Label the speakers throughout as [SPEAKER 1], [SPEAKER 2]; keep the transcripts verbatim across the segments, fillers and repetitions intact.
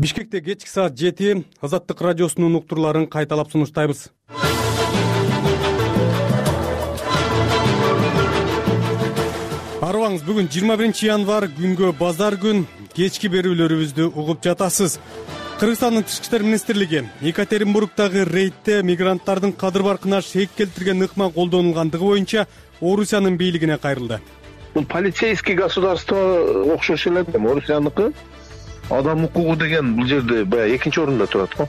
[SPEAKER 1] Бишкекте кечки саат жети Азаттык радиосунун уктурларын кайталап сунуштайбыз. Арыбаңыз, бүгүн жыйырма биринчи январь, күнгө базар күн. Кечки берүүлөрүбүздү угуп жатасыз. Кыргызстандын Тышкы иштер министрлиги Екатеринбургдагы рейдте мигранттардын кадыр баркына шек келтирген ыкма колдонулгандыгы боюнча Орусиянын бийлигине кайрылды.
[SPEAKER 2] Бул полицейский государство окшош эле, Орусияныкы. Адам укугу деген бул жерде баягы экинчи орунда турат го.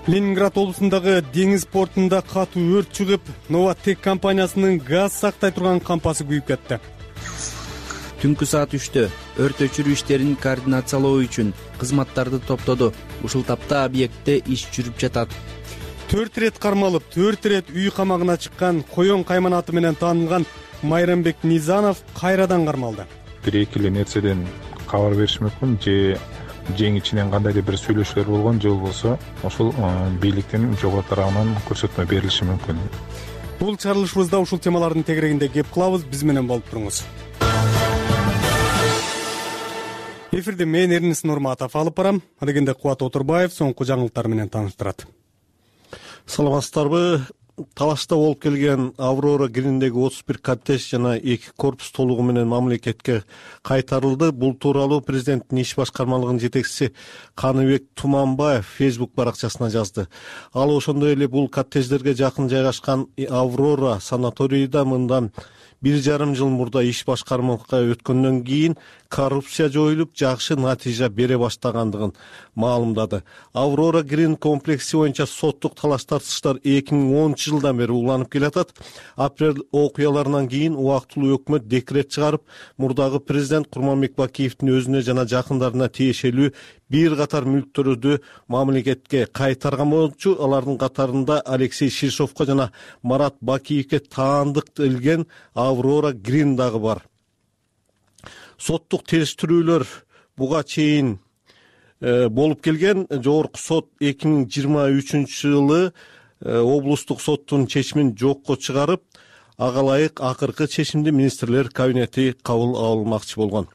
[SPEAKER 1] Ленинград облусундагы деңиз портунда катуу өрт чыгып, Новотек компаниясынын газ сактай турган кампасы күйүп кетти.
[SPEAKER 3] Түнкү саат үчтө өрт өчүрүү иштерин координациялоо үчүн кызматтарды топтоду. Ушул тапта объектте иш жүрүп жатат.
[SPEAKER 1] Төрт ирет кармалып, төрт ирет үй камагына чыккан Коён кайманаты менен таанылган Майрамбек Низанов кайрадан кармалды.
[SPEAKER 4] Бир-эки эле нерседен кабар бериш мүмкүн, же жең ичинен кандайдыр бир сүйлөшүүлөр болгон, же болбосо ошол бийликтин жогору тарабынан көрсөтмө берилиши мүмкүн.
[SPEAKER 1] Бул чыгарылышыбызда ушул темалардын тегерегинде кеп кылабыз. Биз менен болуп туруңуз. Эфирде мен Эрнис Нурматов алып барам. Адегенде Кубат Отурбаев соңку жаңылыктар менен тааныштырат.
[SPEAKER 5] Саламатсыздарбы? Талашта болуп келген Аврора Гриндеги отуз бир коттедж жана эки корпус толугу менен мамлекетке кайтарылды. Бул тууралуу президенттин иш башкармалыгынын жетекчиси Каныбек Туманбаев Facebook баракчасына жазды. Ал ошондой эле бул коттедждерге жакын жайгашкан Аврора санаторийда мындан бир жарым жыл мурда иш башкармалыкка өткөндөн кийин коррупция жоюлуп, жакшы натыйжа бере баштагандыгын маалымдады. Аврора Грин комплекси боюнча соттук талаш тартыштар эки миң онунчу жылдан бери уланып келатат. Апрель окуяларынан кийин убактылуу өкмөт декрет чыгарып, мурдагы президент Курманбек Бакиевдин өзүнө жана жакындарына тиешелүү бир катар мүлктөрдү мамлекетке кайтарган болчу. Алардын катарында Алексей Шишовко жана Марат Бакиевке таандык делген Аврора Грин дагы бар. Соттук териштирүүлөр буга чейин э, болуп келген. Жогорку сот эки миң жыйырма үчүнчү жылы э, облустук соттун чечимин жокко чыгарып, ага ылайык акыркы чечимди министрлер кабинети кабыл алмакчы болгон.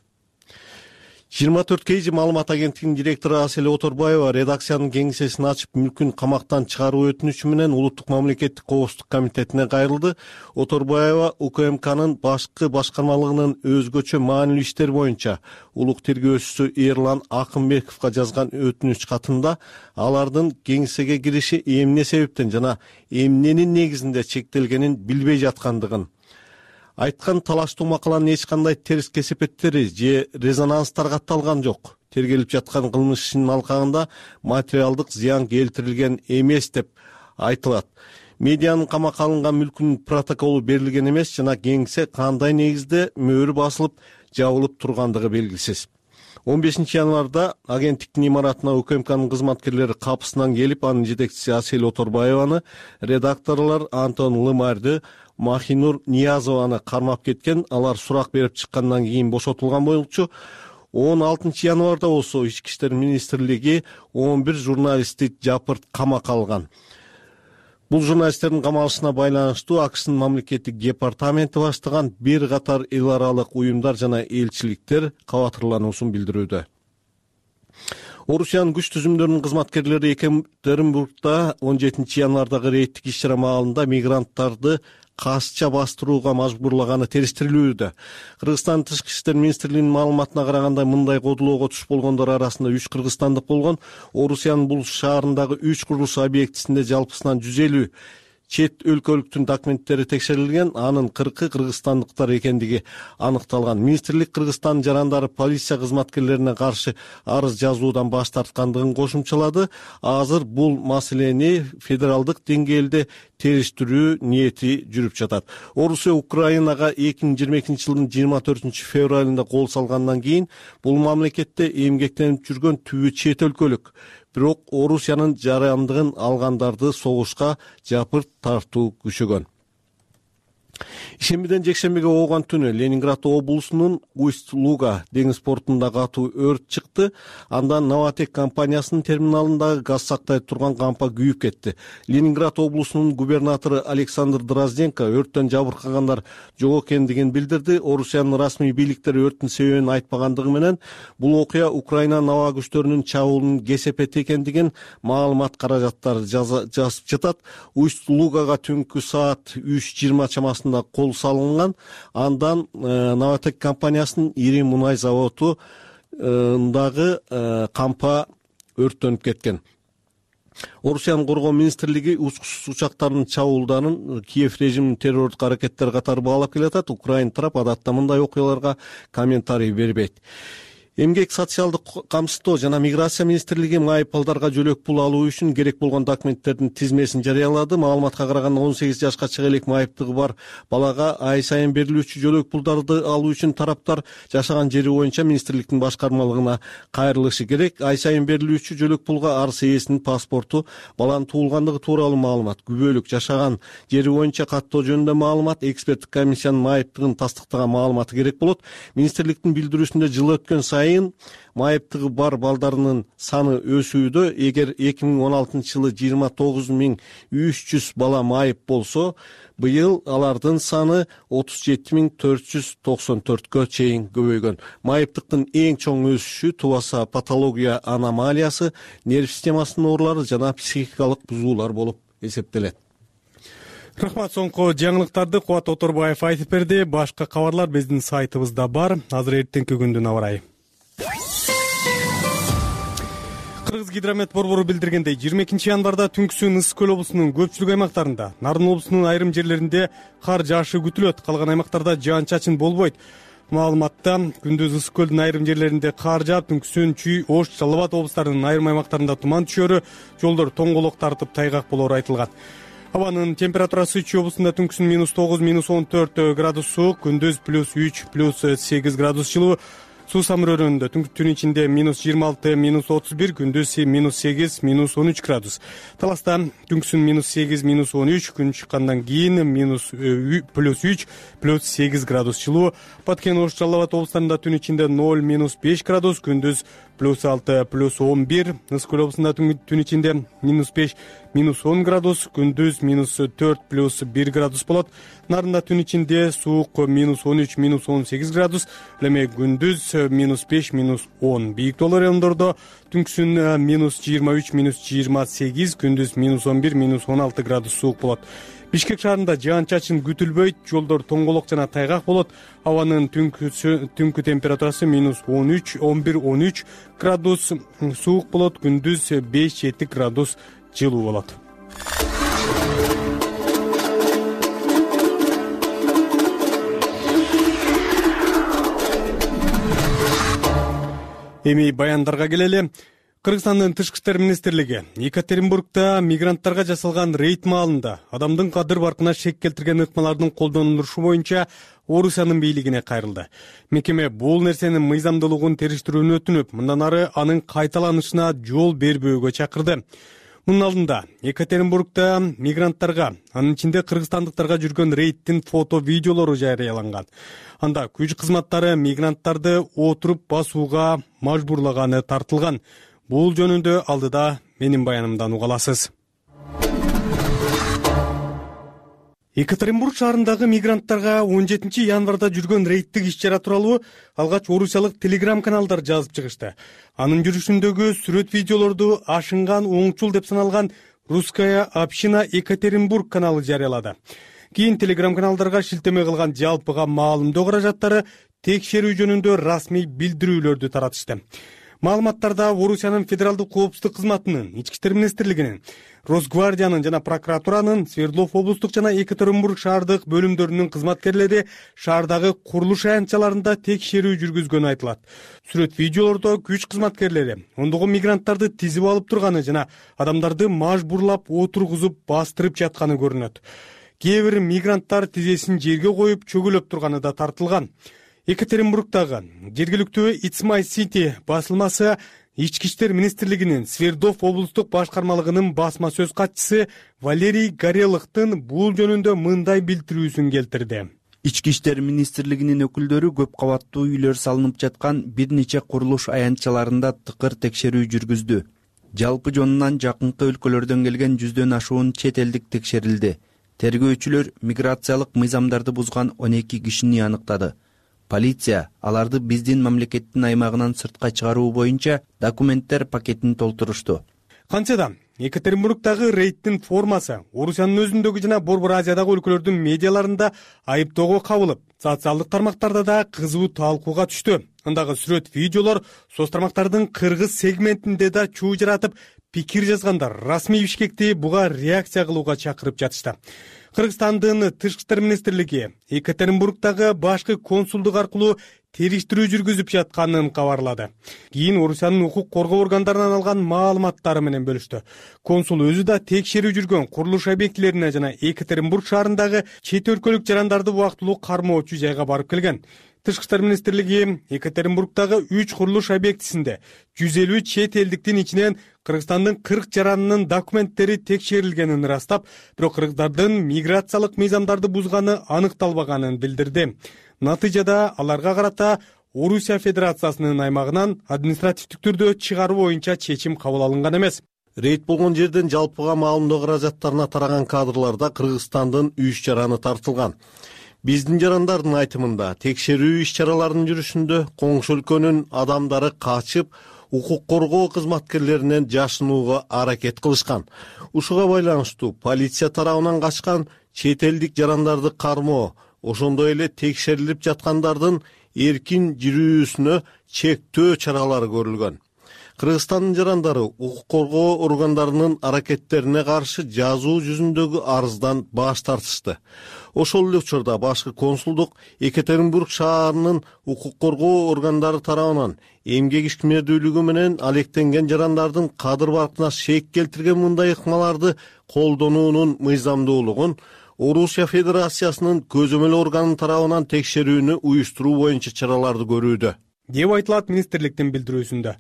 [SPEAKER 5] жыйырма төрт кей жи маалымат агенттигинин директору Асель Оторбаева редакциянын кеңсесин ачып, мүлкүн камактан чыгаруу өтүнүчү менен Улуттук мамлекеттик коопсуздук комитетине кайрылды. Оторбаева УКМКнын башкы башкармалыгынын өзгөчө маанилүү иштер боюнча улук тергөөчүсү Эрлан Акынбековго жазган өтүнүч катында алардын кеңсеге кириши эмне себептен жана эмненин негизинде чектелгенин билбей жаткандыгын айткан. Талаштуу макаланын эч кандай терс кесепеттери же резонанстар катталган жок. Тергелип жаткан кылмыш ишинин алкагында материалдык зыян келтирилген эмес деп айтылат. Медианын камакка алынган мүлкүнүн протоколу берилген эмес жана кеңсе кандай негизде мөөрү басылып жабылып тургандыгы белгисиз. он бешинчи январда агенттиктин имаратына УКМКнын кызматкерлери капысынан келип, анын жетекчиси Асель Оторбаеваны, редакторлор Антон Лымарды, Махинур Ниязованы кармап кеткен. Алар сурак берип чыккандан кийин бошотулган болчу. он алтынчы январда болсо Ички иштер министрлиги он бир журналистти жапырт камакка алган. Бул журналисттердин камалышына байланыштуу АКШнын мамлекеттик департаменти баштаган бир катар эл аралык уюмдар жана элчиликтер кабатырлануусун билдирүүдө. Орусиянын күч түзүмдөрүнүн кызматкерлери Екатеринбургда он жетинчи январдагы рейдтик иш-чара маалында мигранттарды касча бастырууга мажбурлаганы териштирилүүдө. Кыргызстан Тышкы иштер министрлигинин маалыматына караганда, мындай кодулоого туш болгондор арасында үч кыргызстандык болгон. Орусиянын бул шаарындагы үч курулуш объектисинде жалпысынан жүз элүү чет өлкөлүктүн документтери текшерилген. Анын кыркы кыргызстандыктар экендиги аныкталган. Министрлик Кыргызстан жарандары полиция кызматкерлерине каршы арыз жазуудан баш тарткандыгын кошумчалады. Азыр бул маселени федералдык деңгээлде териштирүү ниети жүрүп жатат. Орусия Украинага эки миң жыйырма экинчи жылдын жыйырма төртүнчү февралында кол салгандан кийин бул мамлекетте эмгектенип жүргөн түбү чет өлкөлүк. Бирок Орусиянын жарандыгын алгандарды согушка жапырт тартуу күчөгөн. Ишембиден жекшембиге ооган түнү Ленинград облусунун Усть-Луга деңиз портунда катуу өрт чыкты. Андан Новотек компаниясынын терминалындагы газ сактай турган кампа күйүп кетти. Ленинград облусунун губернатору Александр Дрозденко өрттөн жабыркагандар жок экендигин билдирди. Орусиянын расмий бийликтери өрттүн себебин айтпагандыгы менен бул окуя Украинанын аба күчтөрүнүн чабуулунун кесепети экендигин маалымат каражаттары жазып жатат. Усть-Лугага түнкү саат үч жыйырма чамасында кол салынган. Андан э, Новотек компаниясынын ири мунай заводундагы э, кампа өрттөнүп кеткен. Орусиянын коргоо министрлиги учкучсуз учактардын чабуулдарын Киев режиминин террорлук аракеттери катары баалап келатат. Украина тарап адатта мындай окуяларга комментарий бербейт. Эмгек социалдык камсыздоо жана миграция министрлиги майыпталдарга жөлөк пул алуу үчүн керек болгон документтердин тизмесин жарыялады. Маалыматка караганда он сегиз жашка чыга элек майыптыгы бар балага ай сайын берилүүчү жөлөк пулдарды алуу үчүн тараптар жашаган жери боюнча министрликтин башкармалыгына кайрылышы керек. Ай сайын берилүүчү жөлөк пулга арс ээсинин паспорту, баланын туулгандыгы тууралуу маалымат, күбөлүк, жашаган жери боюнча каттоо жөнүндө маалымат, эксперттик комиссиянын майыптыгын тастыктаган маалыматы керек болот. Министрликтин билдирүүсүндө жыл өткөн сайын майыптыгы бар балдарынын саны өсүүдө. Эгер эки миң он алтынчы жылы жыйырма тогуз миң үч жүз бала майып болсо, быйыл алардын саны отуз жети миң төрт жүз токсон төрткө чейин көбөйгөн. Майыптыктын эң чоң өсүшү тубаса патология аномалиясы, нерв системасынын оорулары жана психикалык бузуулар болуп эсептелет.
[SPEAKER 1] Рахмат, соңку жаңылыктарды Кубат Оторбаев айтып берди. Башка кабарлар биздин сайтыбызда бар. Азыр эртеңки күндүн аба ырайы. Кыргыз гидромет борбору билдиргендей, жыйырма экинчи январда түнкүсүн Ысык көл облусунун көпчүлүк аймактарында, Нарын облусунун айрым жерлеринде кар жаашы күтүлөт. Калган аймактарда жаан-чачын болбойт. Маалыматта күндүз Ысык көлдүн айрым жерлеринде кар жаап, түнкүсүн Чүй, Ош, Жалал Абад облустарынын айрым аймактарында туман түшөрү, жолдор тоңголок тартып тайгак болору айтылган. Абанын температурасы Чүй облусунда түнкүсүн минус тогуз, минус он төрт градус суук, күндүз плюс үч, плюс сегиз градус жылуу. Суу самыр өрөөнүндө түн ичинде минус жыйырма алты, минус отуз бир, күндүз минус сегиз, минус он үч градус. Таласта түнкүсүн минус сегиз, минус он үч, күн чыккандан кийин минус плюс үч, плюс сегиз градус жылуу. Баткен, Ош, Жалал Абад облустарында түн ичинде ноль, минус беш градус, күндүз плюс алты, плюс он бир. Ысык көл облусунда түн ичинде минус беш, минус он градус, күндүз минус төрт, плюс бир градус болот. Нарында түн ичинде суук минус он үч, минус он сегиз градус, эми күндүз минус беш, минус он. Бийик тоолор райондордо түнкүсүн минус жыйырма үч, минус жыйырма сегиз, күндүз минус он бир, минус он алты градус суук болот. Бишкек шаарында жаан-чачын күтүлбөйт, жолдор тоңголок жана тайгак болот. Абанын түнкү температурасы минус он үч, он бир, он үч градус суук болот, күндүз беш, жети градус жылуу болот. Эми баяндарга келели. Кыргызстандын тышкы иштер министрлиги Екатеринбургда мигранттарга жасалган рейд маалында адамдын кадыр баркына шек келтирген ыкмалардын колдонулушу боюнча Орусиянын бийлигине кайрылды. Мекеме бул нерсенин мыйзамдуулугун териштирүүнү өтүнүп, мындан ары анын кайталанышына жол бербөөгө чакырды. Мунун алдында Екатеринбургда мигранттарга, анын ичинде кыргызстандыктарга жүргөн рейдтин фото видеолору жарыяланган. Анда күч кызматтары мигранттарды отуруп басууга мажбурлаганы тартылган. Бул жөнүндө алдыда менин баянымдан уга аласыз. Екатеринбург шаарындагы мигранттарга он жетинчи январда жүргөн рейдтик иш-чара тууралуу алгач орусиялык телеграм-каналдар жазып чыгышты. Анын жүрүшүндөгү сүрөт видеолорду ашынган оңчул деп саналган Русская община Екатеринбург каналы жарыялады. Кийин телеграм-каналдарга шилтеме кылган жалпыга маалымдоо каражаттары текшерүү жөнүндө расмий билдирүүлөрдү таратышты. Маалыматтарда Орусиянын федералдык коопсуздук кызматынын, Ички иштер министрлигинин, Росгвардиянын жана прокуратуранын, Свердлов облустук жана Екатеринбург шаардык бөлүмдөрүнүн кызматкерлери шаардагы курулуш аянтчаларында текшерүү жүргүзгөнү айтылат. Сүрөт видеолордо күч кызматкерлери ондогон мигранттарды тизип алып турганы жана адамдарды мажбурлап отургузуп бастырып жатканы көрүнөт. Кээ бир мигранттар тизесин жерге коюп чөгөлөп турганы да тартылган. Екатеринбургдагы жергиликтүү It's My City басылмасы Ички иштер министрлигинин Свердлов облустук башкармалыгынын басма сөз катчысы Валерий Горелыктын бул жөнүндө мындай билдирүүсүн келтирди.
[SPEAKER 3] Ички иштер министрлигинин өкүлдөрү көп кабаттуу үйлөр салынып жаткан бир нече курулуш аянтчаларында тыкыр текшерүү жүргүздү. Жалпы жонунан жакынкы өлкөлөрдөн келген жүздөн ашуун чет элдик текшерилди. Тергөөчүлөр миграциялык мыйзамдарды бузган он эки кишини аныктады. Полиция аларды биздин мамлекеттин аймагынан сыртка чыгаруу боюнча документтер пакетин толтурушту.
[SPEAKER 1] Кантсе да Екатеринбургдагы рейдтин формасы Орусиянын өзүндөгү жана Борбор Азиядагы өлкөлөрдүн медиаларында айыптоого кабылып, социалдык тармактарда да кызуу талкууга түштү. Андагы сүрөт, видеолор соц тармактардын кыргыз сегментинде да чуу жаратып, пикир жазгандар расмий Бишкекти буга реакция кылууга чакырып жатышты. Кыргызстандын Тышкы иштер министрлиги Екатеринбургдагы башкы консулдук аркылуу териштирүү жүргүзүп жатканын кабарлады. Кийин Орусиянын укук коргоо органдарынан алган маалыматтары менен бөлүштү. Консул өзү да текшерүү жүргөн курулуш объектилерине жана Екатеринбург шаарындагы чет өлкөлүк жарандарды убактылуу кармоочу жайга барып келген. Тышкы иштер министрлиги Екатеринбургдагы үч курулуш объектисинде жүз элүү чет элдиктин ичинен Кыргызстандын кырк жаранынын документтери текшерилгенин ырастап, бирок кыргыздардын миграциялык мыйзамдарды бузганы аныкталбаганын билдирди. Натыйжада аларга карата Орусия Федерациясынын аймагынан административдик түрдө чыгаруу боюнча чечим кабыл алынган эмес.
[SPEAKER 5] Рейд болгон жерден жалпыга маалымдоо каражаттарына тараган кадрларда Кыргызстандын үч жараны тартылган. Биздин жарандардын айтымында текшерүү иш-чараларынын жүрүшүндө коңшу өлкөнүн адамдары качып, укук коргоо кызматкерлеринен жашынууга аракет кылышкан. Ушуга байланыштуу полиция тарабынан качкан чет элдик жарандарды кармоо, ошондой эле текшерилип жаткандардын эркин жүрүүсүнө чектөө чаралары көрүлгөн. Кыргызстандын жарандары укук коргоо органдарынын аракеттерине каршы жазуу жүзүндөгү арыздан баш тартышты. Ошол эле учурда башкы консулдук Екатеринбург шаарынын укук коргоо органдары тарабынан эмгек ишмердүүлүгү менен алектенген жарандардын кадыр баркына шек келтирген мындай ыкмаларды колдонуунун мыйзамдуулугун Орусия Федерациясынын көзөмөл органынын тарабынан текшерүүнү уюштуруу боюнча чараларды көрүүдө,
[SPEAKER 1] деп айтылат министрликтин билдирүүсүндө.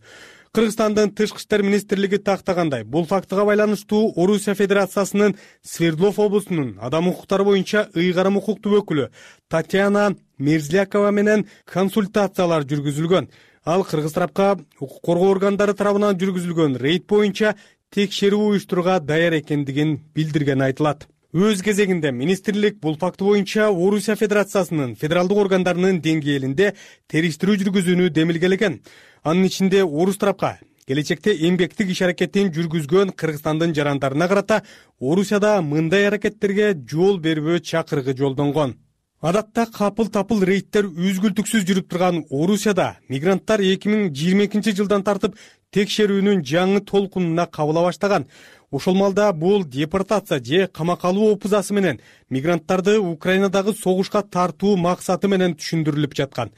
[SPEAKER 1] Кыргызстандын Тышкы иштер министрлиги тактагандай, бул фактыга байланыштуу Орусия Федерациясынын Свердлов облусунун адам укуктары боюнча ыйгарым укуктуу өкүлү Татьяна Мерзлякова менен консультациялар жүргүзүлгөн. Ал кыргыз тарапка укук коргоо органдары тарабынан жүргүзүлгөн рейд боюнча текшерүү уюштурууга даяр экендигин билдирген айтылат. Өз кезегинде министрлик бул факты боюнча Орусия Федерациясынын федералдык органдарынын деңгээлинде териштирүү жүргүзүүнү демилгелеген. Анын ичинде орус тарапка келечекте эмгектик иш аракетин жүргүзгөн Кыргызстандын жарандарына карата Орусияда мындай аракеттерге жол бербөө чакырыгы жолдонгон. Адатта капыл-тапыл рейдтер үзгүлтүксүз жүрүп турган Орусияда мигранттар эки миң жыйырма экинчи жылдан тартып текшерүүнүн жаңы толкунуна кабыла баштаган. Ошол малда бул депортация же камакка алуу опузасы менен мигранттарды Украинадагы согушка тартуу максаты менен түшүндүрүлүп жаткан.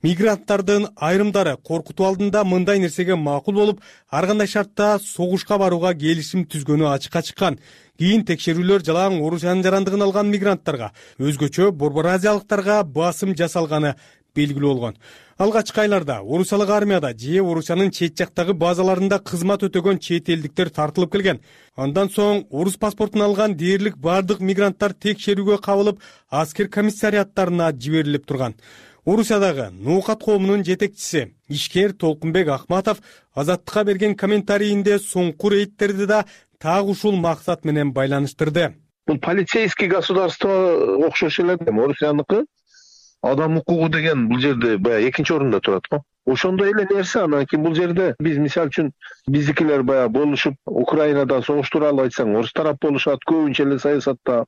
[SPEAKER 1] Мигранттардын айрымдары коркутуу алдында мындай нерсеге макул болуп, ар кандай шартта согушка барууга келишим түзгөнү ачыкка чыккан. Кийин текшерүүлөр жалаң Орусиянын жарандыгын алган мигранттарга, өзгөчө Борбор Азиялыктарга басым жасалганы белгилүү болгон. Алгачкы айларда Орусиялык армияда же Орусиянын чет жактагы базаларында кызмат өтөгөн чет элдиктер тартылып келген. Андан соң орус паспортун алган дээрлик бардык мигранттар текшерүүгө кабылып, аскер комиссариаттарына жиберилип турган. Орусиядагы Ноокат коомунун жетекчиси ишкер Толкунбек Ахматов Азаттыкка берген комментарийинде соңку рейдтерди да так ушул максат менен байланыштырды.
[SPEAKER 2] Бул полицейский государство окшош эле эми Орусияныкы. Адам укугу деген бул жерде баягы экинчи орунда турат го. Ошондой эле нерсе. Анан кийин бул жерде биз мисалы үчүн биздикилер баягы болушуп Украинада согуш тууралуу айтсаң, орус тарап болушат, көбүнчө эле саясатта.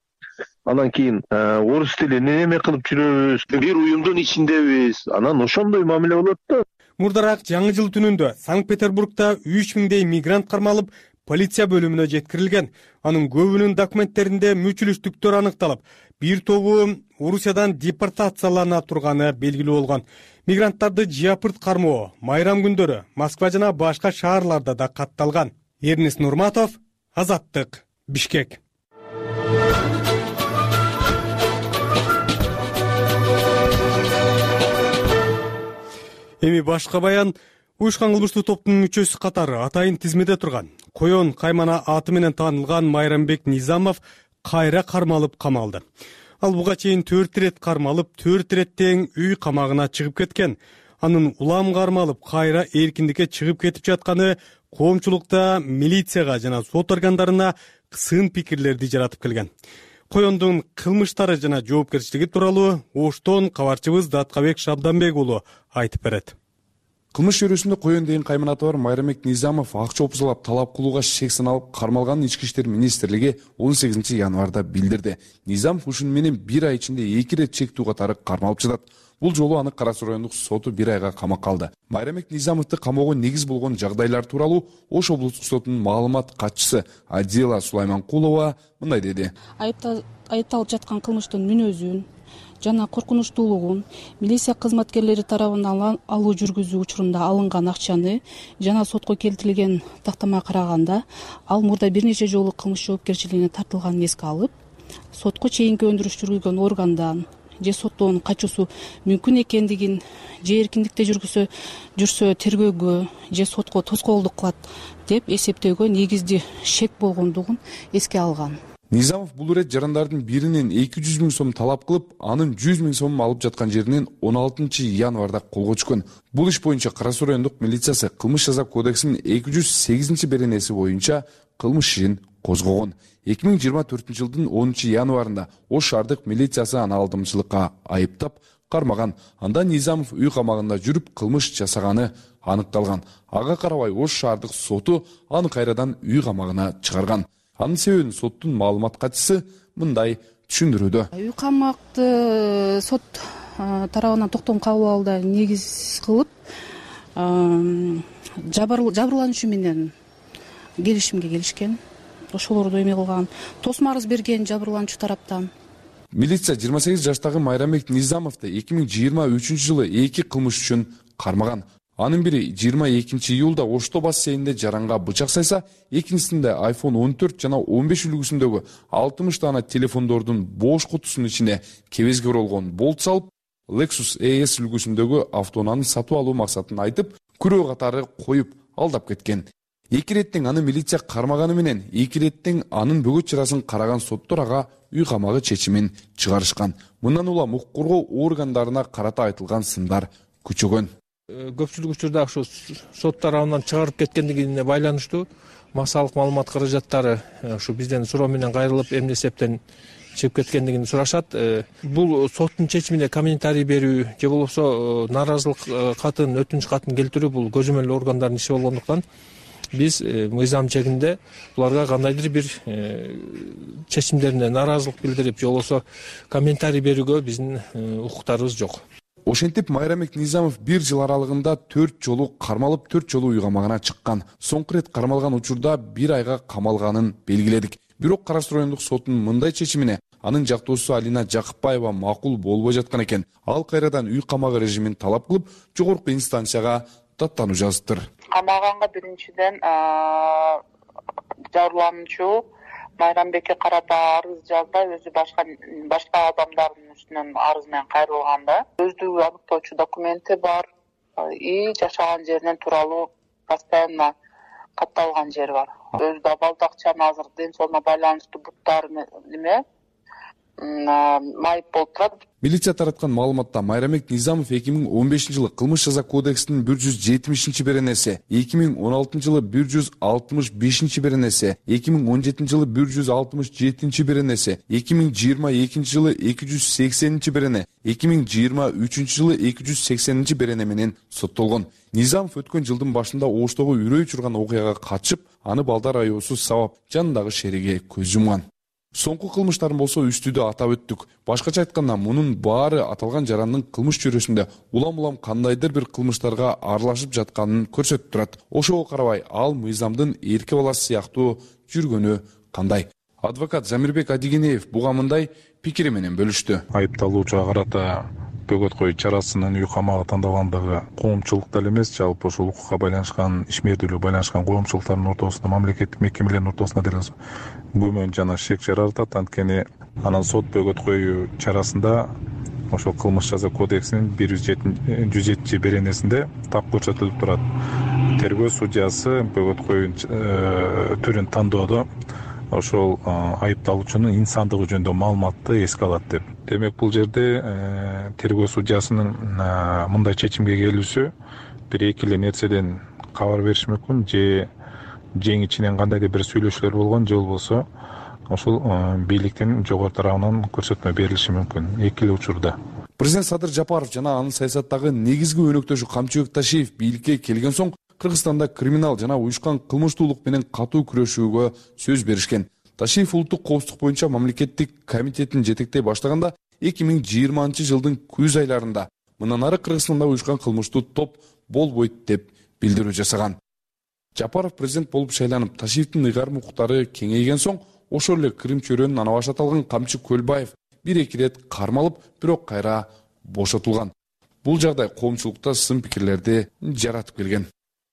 [SPEAKER 2] Анан кийин орус тилин эме кылып жүрөбүз, бир уюмдун ичиндебиз. Анан ошондой мамиле болот да.
[SPEAKER 1] Мурдараак жаңы жыл түнүндө Санкт-Петербургда үч миңдей мигрант кармалып, полиция бөлүмүнө жеткирилген. Анын көбүнүн документтеринде мүчүлүштүктөр аныкталып, бир тобу Орусиядан депортациялана турганы белгилүү болгон. Мигранттарды жыапырт кармоо майрам күндөрү Москва жана башка шаарларда да катталган. Эрнест Нурматов, Азаттык, Бишкек. Эми башка баян. Уюшкан кылмыштуу топтун мүчөсү катары атайын тизмеде турган Коен Каймана аты менен таанылган Майрамбек Низамов кайра кармалып камалды. Ал буга чейин төрт ирет кармалып, төрт ирет тең үй камагына чыгып кеткен. Анын улам кармалып, кайра эркиндикке чыгып кетип жатканы коомчулукта милицияга жана сот органдарына сын пикирлерди жаратып келген. Коендун кылмыштары жана жоопкерчилиги тууралуу Оштон кабарчыбыз Даткабек Шабданбек уулу айтып берет.
[SPEAKER 6] Кылмыш чөйрөсүндө Коен деген кайманаты бар Майрамбек Низамов акча опузалап талап кылууга шек саналып кармалганын Ички иштер министрлиги он сегизинчи январда билдирди. Низамов ушуну менен бир ай ичинде эки ирет чектүү катары кармалып жатат. Бул жолу аны Кара Суу райондук соту бир айга камакка алды. Майрамбек Низамовду камоого негиз болгон жагдайлар тууралуу Ош облустук сотунун маалымат катчысы Адила Сулайманкулова мындай деди.
[SPEAKER 7] Айыпталып жаткан кылмыштын мүнөзүн жана коркунучтуулугун, милиция кызматкерлери тарабынан алуу жүргүзүү учурунда алынган акчаны жана сотко келтирилген тактамага караганда ал мурда бир нече жолу кылмыш жоопкерчилигине тартылганын эске алып, сотко чейинки өндүрүш жүргүзгөн органдан же соттоонун качуусу мүмкүн экендигин, же эркиндикте жүргүсө жүрсө тергөөгө же сотко тоскоолдук кылат деп эсептөөгө негизди шек болгондугун эске алган.
[SPEAKER 6] Низамов бул ирет жарандардын биринен эки жүз миң сом талап кылып, анын жүз миң сомун алып жаткан жеринен он алтынчы январда колго түшкөн. Бул иш боюнча Кара Суу райондук милициясы кылмыш жаза кодексинин эки жүз сегизинчи беренеси боюнча кылмыш ишин козгогон. эки миң жыйырма төртүнчү жылдын онунчу январында Ош шаардык милициясы аны алдамчылыкка айыптап кармаган. Анда Низамов үй камагында жүрүп кылмыш жасаганы аныкталган. Ага карабай Ош шаардык соту аны кайрадан үй камагына чыгарган. Анын себебин соттун маалымат катчысы мындай түшүндүрүүдө.
[SPEAKER 7] Үй камакты сот тарабынан токтом кабыл алууда негиз кылып, жабырлануучу менен келишимге келишкен. Ошолорду эме кылган, тосмо арыз берген жабырлануучу тараптан.
[SPEAKER 6] Милиция жыйырма сегиз жаштагы Майрамбек Низамовду эки миң жыйырма үчүнчү жылы эки кылмыш үчүн кармаган. Анын бири жыйырма экинчи июлда Ошто бассейнинде жаранга бычак сайса, экинчисинде айфон он төрт жана он беш үлгүсүндөгү алтымыш дана телефондордун бош кутусунун ичине кебезге оролгон болт салып, Lexus E S үлгүсүндөгү автоунааны сатып алуу максатын айтып, күрөө катары коюп алдап кеткен. Эки иреттен аны милиция кармаганы менен эки иреттен анын бөгөт чарасын караган соттор ага үй камагы чечимин чыгарышкан. Мындан улам укук коргоо органдарына карата айтылган сындар күчөгөн.
[SPEAKER 8] Көпчүлүк учурда ушу сот тарабынан чыгарып кеткендигине байланыштуу массалык маалымат каражаттары ушу бизден суроо менен кайрылып, эмне эсептен чыгып кеткендигин сурашат. Бул соттун чечимине комментарий берүү же болбосо нааразылык катын, өтүнүч катын келтирүү бул көзөмөл органдардын иши болгондуктан биз мыйзам чегинде буларга кандайдыр бир чечимдерине нааразылык билдирип, же болбосо комментарий берүүгө биздин укуктарыбыз жок.
[SPEAKER 6] Ошентип Майрамбек Низамов бир жыл аралыгында төрт жолу кармалып, төрт жолу үй камагына чыккан. Соңку ирет кармалган учурда бир айга камалганын белгиледик. Бирок Кара Суу райондук сотунун мындай чечимине анын жактоосу Алина Жакыпбаева макул болбой жаткан экен. Ал кайрадан үй камагы режимин талап кылып, жогорку инстанцияга даттануу жазыптыр.
[SPEAKER 9] Камаганга биринчиден жабырлануучу Майрамбекке карата арыз жазбай, өзү башка башка адамдардын үстүнөн арыз менен кайрылганда, өздүгү аныктоочу документи бар и жашаган жеринен тууралуу постоянно катталган жери бар. Өзү да балдакчаны азыр ден соолугуна байланыштуу буттары неме майып болуп турат.
[SPEAKER 6] Милиция тараткан маалыматта Майрамбек Низамов эки миң он бешинчи жылы кылмыш жаза кодексинин бир жүз жетимишинчи беренеси, эки миң он алтынчы жылы бир жүз алтымыш бешинчи беренеси, эки миң он жетинчи жылы бир жүз алтымыш жетинчи беренеси, эки миң жыйырма экинчи жылы эки жүз сексенинчи берене, эки миң жыйырма үчүнчү жылы эки жүз сексенинчи берене менен соттолгон. Низамов өткөн жылдын башында Оштогу үрөй учурган окуяга катышып, аны балдар аябысыз сабап, жанындагы шериге көз жумган. Соңку кылмыштарын болсо үстүдө атап өттүк. Башкача айтканда, мунун баары аталган жарандын кылмыш чөйрөсүндө улам-улам кандайдыр бир кылмыштарга аралашып жатканын көрсөтүп турат. Ошого карабай, ал мыйзамдын эрке баласы сыяктуу жүргөнү кандай? Адвокат Замирбек Адигенеев буга мындай пикири менен бөлүштү.
[SPEAKER 4] Айыпталуучуга карата бөгөт коюу чарасынын үй камагы тандалгандыгы коомчулукта эле эмес, жалпы ушул укукка байланышкан, ишмердүүлүгү байланышкан коомчулуктардын ортосунда, мамлекеттик мекемелердин ортосунда деле күмөн жана шек жаратат. Анткени анан сот бөгөт коюу чарасында ошол кылмыш жаза кодексинин бир жүз жетинчи беренесинде так көрсөтүлүп турат. Тергөө судьясы бөгөт коюу түрүн тандоодо ошол айыпталуучунун инсандыгы жөнүндө маалыматты эске алат деп. Демек бул жерде тергөө судьясынын мындай чечимге келүүсү бир эки эле нерседен кабар бериши мүмкүн, же жең ичинен кандайдыр бир сүйлөшүүлөр болгон, же болбосо ошол бийликтин жогору тарабынан көрсөтмө берилиши мүмкүн эки эле учурда.
[SPEAKER 6] Президент Садыр Жапаров жана анын саясаттагы негизги өнөктөшү Камчыбек Ташиев бийликке келген соң Кыргызстанда криминал жана уюшкан кылмыштуулук менен катуу күрөшүүгө сөз беришкен. Ташиев улуттук коопсуздук боюнча мамлекеттик комитетин жетектей баштаганда эки миң жыйырманчы жылдын күз айларында мындан ары Кыргызстанда уюшкан кылмыштуу топ болбойт деп билдирүү жасаган. Жапаров президент болуп шайланып, Ташиевдин ыйгарым укуктары кеңейген соң ошол эле Крым чөйрөнүн анабашы аталган Камчы Көлбаев бир-эки ирет кармалып, бирок кайра бошотулган. Бул жагдай коомчулукта сын пикирлерди жаратып келген.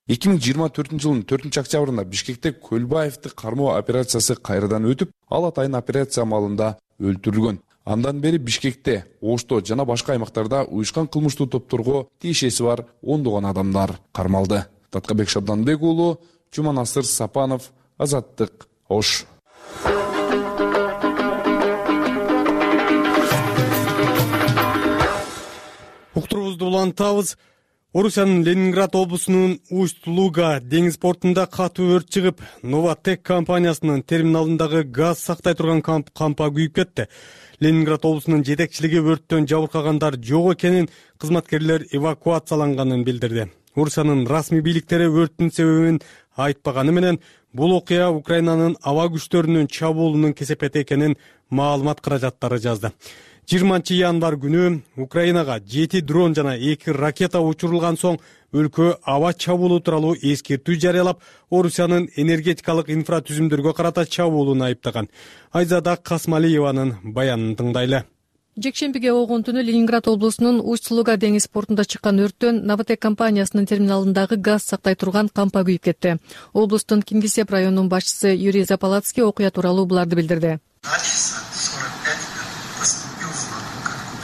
[SPEAKER 6] эки миң жыйырма төртүнчү жылдын төртүнчү октябрында Бишкекте Көлбаевди кармоо операциясы кайрадан өтүп, ал атайын операция маалында өлтүрүлгөн. Андан бери Бишкекте, Ошто жана башка аймактарда уюшкан кылмыштуу топторго тиешеси бар ондогон адамдар кармалды. Таткабек Шабданбек уулу, Жуманасыр Сапанов, Азаттык, Ош.
[SPEAKER 1] Уктурубузду улантабыз. Орусиянын Ленинград облусунун Усть-Луга деңиз портунда катуу өрт чыгып, Новотек компаниясынын терминалындагы газ сактай турган кампа күйүп кетти. Ленинград облусунун жетекчилиги өрттөн жабыркагандар жок экенин, кызматкерлер эвакуацияланганын билдирди. Орусиянын расмий бийликтери өрттүн себебин айтпаганы менен, бул окуя Украинанын аба күчтөрүнүн чабуулунун кесепети экенин маалымат каражаттары жазды. жыйырманчы январь күнү Украинага жети дрон жана эки ракета учурулган соң өлкө аба чабуулу тууралуу эскертүү жарыялап, Орусиянын энергетикалык инфратүзүмдөргө карата чабуулун айыптаган. Айзада Касмалиеванын баянын тыңдайлы.
[SPEAKER 10] Жекшембиге болгон түнү Ленинград облусунун Усть-Луга деңиз портунда чыккан өрттөн Новотек компаниясынын терминалындагы газ сактай турган кампа күйүп кетти. Облустун Кингисепп районунун башчысы Юрий Запалацкий окуя тууралуу буларды билдирди.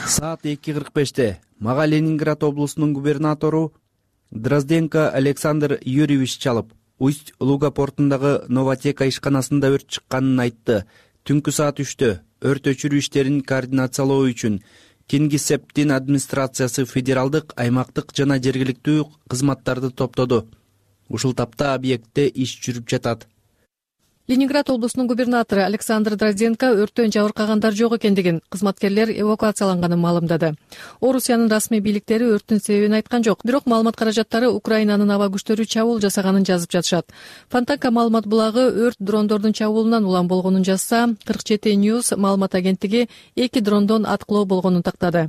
[SPEAKER 3] Саат эки кырк беште мага Ленинград облусунун губернатору Дрозденко Александр Юрьевич чалып, Усть-Луга портундагы Новотека ишканасында өрт чыкканын айтты. Түнкү саат үчтө өрт өчүрүү иштерин координациялоо үчүн Кингисепптин администрациясы федералдык, аймактык жана жергиликтүү кызматтарды топтоду. Ушул тапта объектте иш жүрүп жатат.
[SPEAKER 10] Ленинград облусунун губернатору Александр Дрозденко өрттөн жабыркагандар жок экендигин, кызматкерлер эвакуацияланганын маалымдады. Орусиянын расмий бийликтери өрттүн себебин айткан жок, бирок маалымат каражаттары Украинанын аба күчтөрү чабуул жасаганын жазып жатышат. Фонтанка маалымат булагы өрт дрондордун чабуулунан улам болгонун жазса, кырк жети News маалымат агенттиги эки дрондон аткылоо болгонун тактады.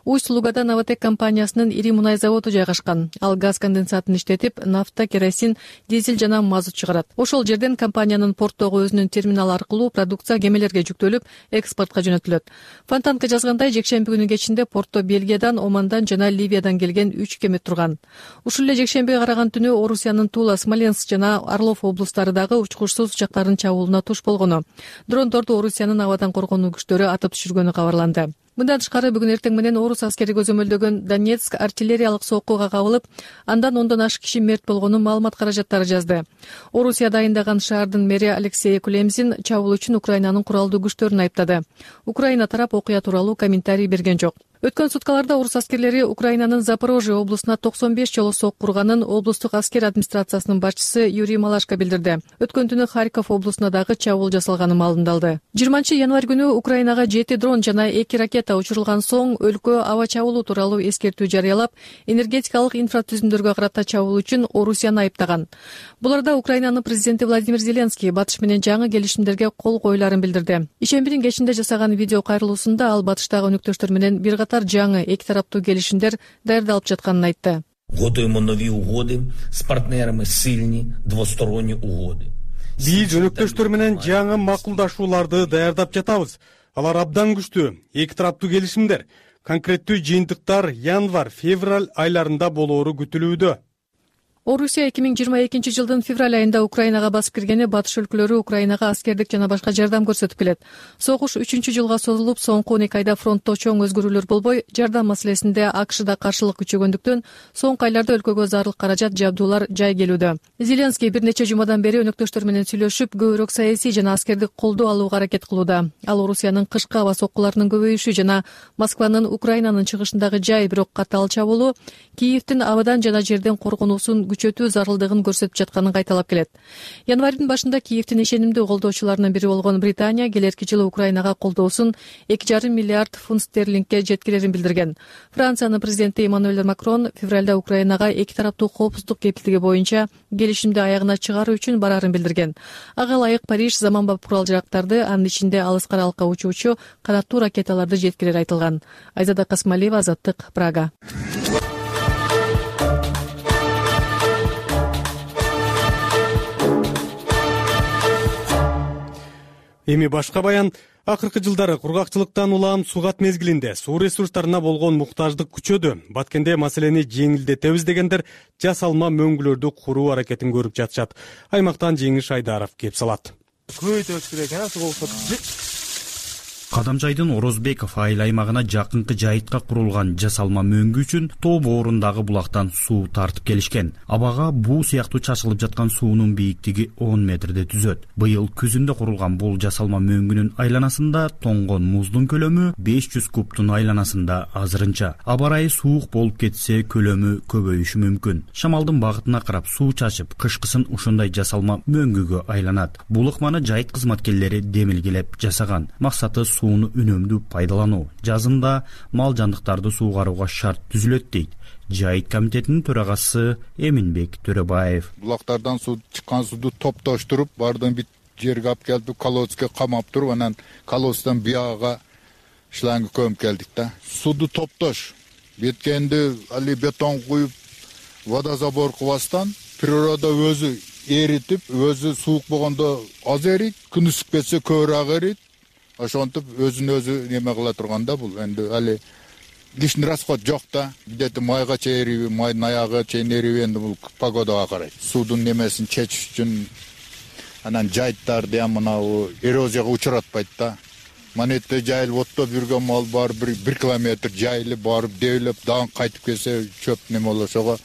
[SPEAKER 10] Усть-Лугада Новотек компаниясынын ири мунай заводу жайгашкан. Ал газ конденсатын иштетип, нафта, керосин, дизель жана мазут чыгарат. Ошол жерден компаниянын порттогу өзүнүн терминал аркылуу продукция кемелерге жүктөлүп, экспортко жөнөтүлөт. Фонтанка жазгандай, жекшемби күнү кечинде портто Бельгиядан, Омандан жана Ливиядан келген үч кеме турган. Ушул эле жекшембиге караган түнү Орусиянын Тула, Смоленск жана Орлов облустары дагы учкучсуз учактардын чабуулуна туш болгону. Дрондорду Орусиянын абадан коргонуу күчтөрү атып түшүргөнү кабарланды. Мындан тышкары бүгүн эртең менен орус аскери көзөмөлдөгөн Донецк артиллериялык соккуга кабылып, андан ондон ашык киши мерт болгонун маалымат каражаттары жазды. Орусия дайындаган шаардын мэри Алексей Кулемзин чабуул үчүн Украинанын куралдуу күчтөрүн айыптады. Украина тарап окуя тууралуу комментарий берген жок. Өткөн суткаларда орус аскерлери Украинанын Запорожье облусуна токсон беш жолу сокку урганын облустук аскер администрациясынын башчысы Юрий Малашко билдирди. Өткөн түнү Харьков облусуна дагы чабуул жасалганы маалымдалды. жыйырманчы январь күнү Украинага жети дрон жана эки ракета учурулган соң өлкө аба чабуулу тууралуу эскертүү жарыялап, энергетикалык инфратүзүмдөргө карата чабуул үчүн Орусияны айыптаган. Буларда Украинанын президенти Владимир Зеленский батыш менен жаңы келишимдерге кол коюларын билдирди. Ишембидин кечинде жасаган видео кайрылуусунда ал батыштагы өнөктөштөр менен бир катар жаңы эки тараптуу келишимдер даярдалып жатканын айтты.
[SPEAKER 11] Готуємо нові угоди з партнерами, сильні двосторонні угоди.
[SPEAKER 1] Биз өнөктөштөр менен жаңы макулдашууларды даярдап жатабыз. Алар абдан күчтүү, эки тараптуу келишимдер. Конкреттүү жыйынтыктар январь, февраль айларында болоору күтүлүүдө.
[SPEAKER 10] Орусия эки миң жыйырма экинчи жылдын февраль айында Украинага басып киргени батыш өлкөлөрү Украинага аскердик жана башка жардам көрсөтүп келет. Согуш үчүнчү жылга созулуп, соңку он эки айда фронтто чоң өзгөрүүлөр болбой, жардам маселесинде АКШда каршылык күчөгөндүктөн соңку айларда өлкөгө зарыл каражат, жабдуулар жай келүүдө. Зеленский бир нече жумадан бери өнөктөштөр менен сүйлөшүп, көбүрөөк саясий жана аскердик колдоо алууга аракет кылууда. Ал Орусиянын кышкы аба соккуларынын көбөйүшү жана Москванын Украинанын чыгышындагы жай бирок катаал чабуулу Киевдин абадан жана жерден коргонуусун күчөтүү зарылдыгын көрсөтүп жатканын кайталап келет. Январдын башында Киевдин ишенимдүү колдоочуларынын бири болгон Британия келерки жылы Украинага колдоосун эки жарым миллиард фунт стерлингке жеткирерин билдирген. Франциянын президенти Эммануэль Макрон февралда Украинага эки тараптуу коопсуздук кепилдиги боюнча келишимди аягына чыгаруу үчүн барарын билдирген. Ага ылайык Париж заманбап курал-жарактарды, анын ичинде алыс каралыкка учуучу канаттуу ракеталарды жеткирери айтылган. Айзада Касмалиева, Азаттык, Прага.
[SPEAKER 1] Эми башка баян. Акыркы жылдары кургакчылыктан улам сугат мезгилинде суу ресурстарына болгон муктаждык күчөдү. Баткенде маселени жеңилдетебиз дегендер жасалма мөңгүлөрдү куруу аракетин көрүп жатышат. Аймактан Жеңиш Айдаров кеп салат.
[SPEAKER 12] Көбөйтөбүз керек экен, суу болсо.
[SPEAKER 3] Кадамжайдын Орозбеков айыл аймагына жакынкы жайытка курулган жасалма мөңгү үчүн тоо боорундагы булактан суу тартып келишкен. Абага буу сыяктуу чачылып жаткан суунун бийиктиги он метрде түзөт. Быйыл күзүндө курулган бул жасалма мөңгүнүн айланасында тоңгон муздун көлөмү беш жүз кубтун айланасында азырынча. Аба ырайы суук болуп кетсе көлөмү көбөйүшү мүмкүн. Шамалдын багытына карап суу чачып, кышкысын ушундай жасалма мөңгүгө айланат. Бул ыкманы жайыт кызматкерлери демилгелеп жасаган. Максаты сууну үнөмдүү пайдалануу. Жазында мал жандыктарды суугарууга шарт түзүлөт дейт Жайыт комитетинин төрагасы Эминбек Төрөбаев.
[SPEAKER 12] Булактардан суу чыккан сууду топтоштуруп, бардын бит жерге алып келип, колодцке камап туруп, анан колодцтан бияга шланг көмүп келдик да. Сууду топтош. Беткенди али бетон куюп, водозабор кылбастан природа өзү эритип, өзү суук болгондо аз эрийт, күн ысып кетсе көбүрөөк эрийт. Ошонтип өзүн өзү неме кыла турганда бул энди али лишний расход жок да. Где-то майга чейриби, майдын аягы чейин эриби, энди бул погодага карайт. Суудун немесин чечиш үчүн анан жайыттарды мынабу эрозияга учуратпайт да. Манетте жайылып оттоп жүргөн мал бар, бир километр жайылып барып дээлеп дагы кайтып келсе чөп неме болот. Ошого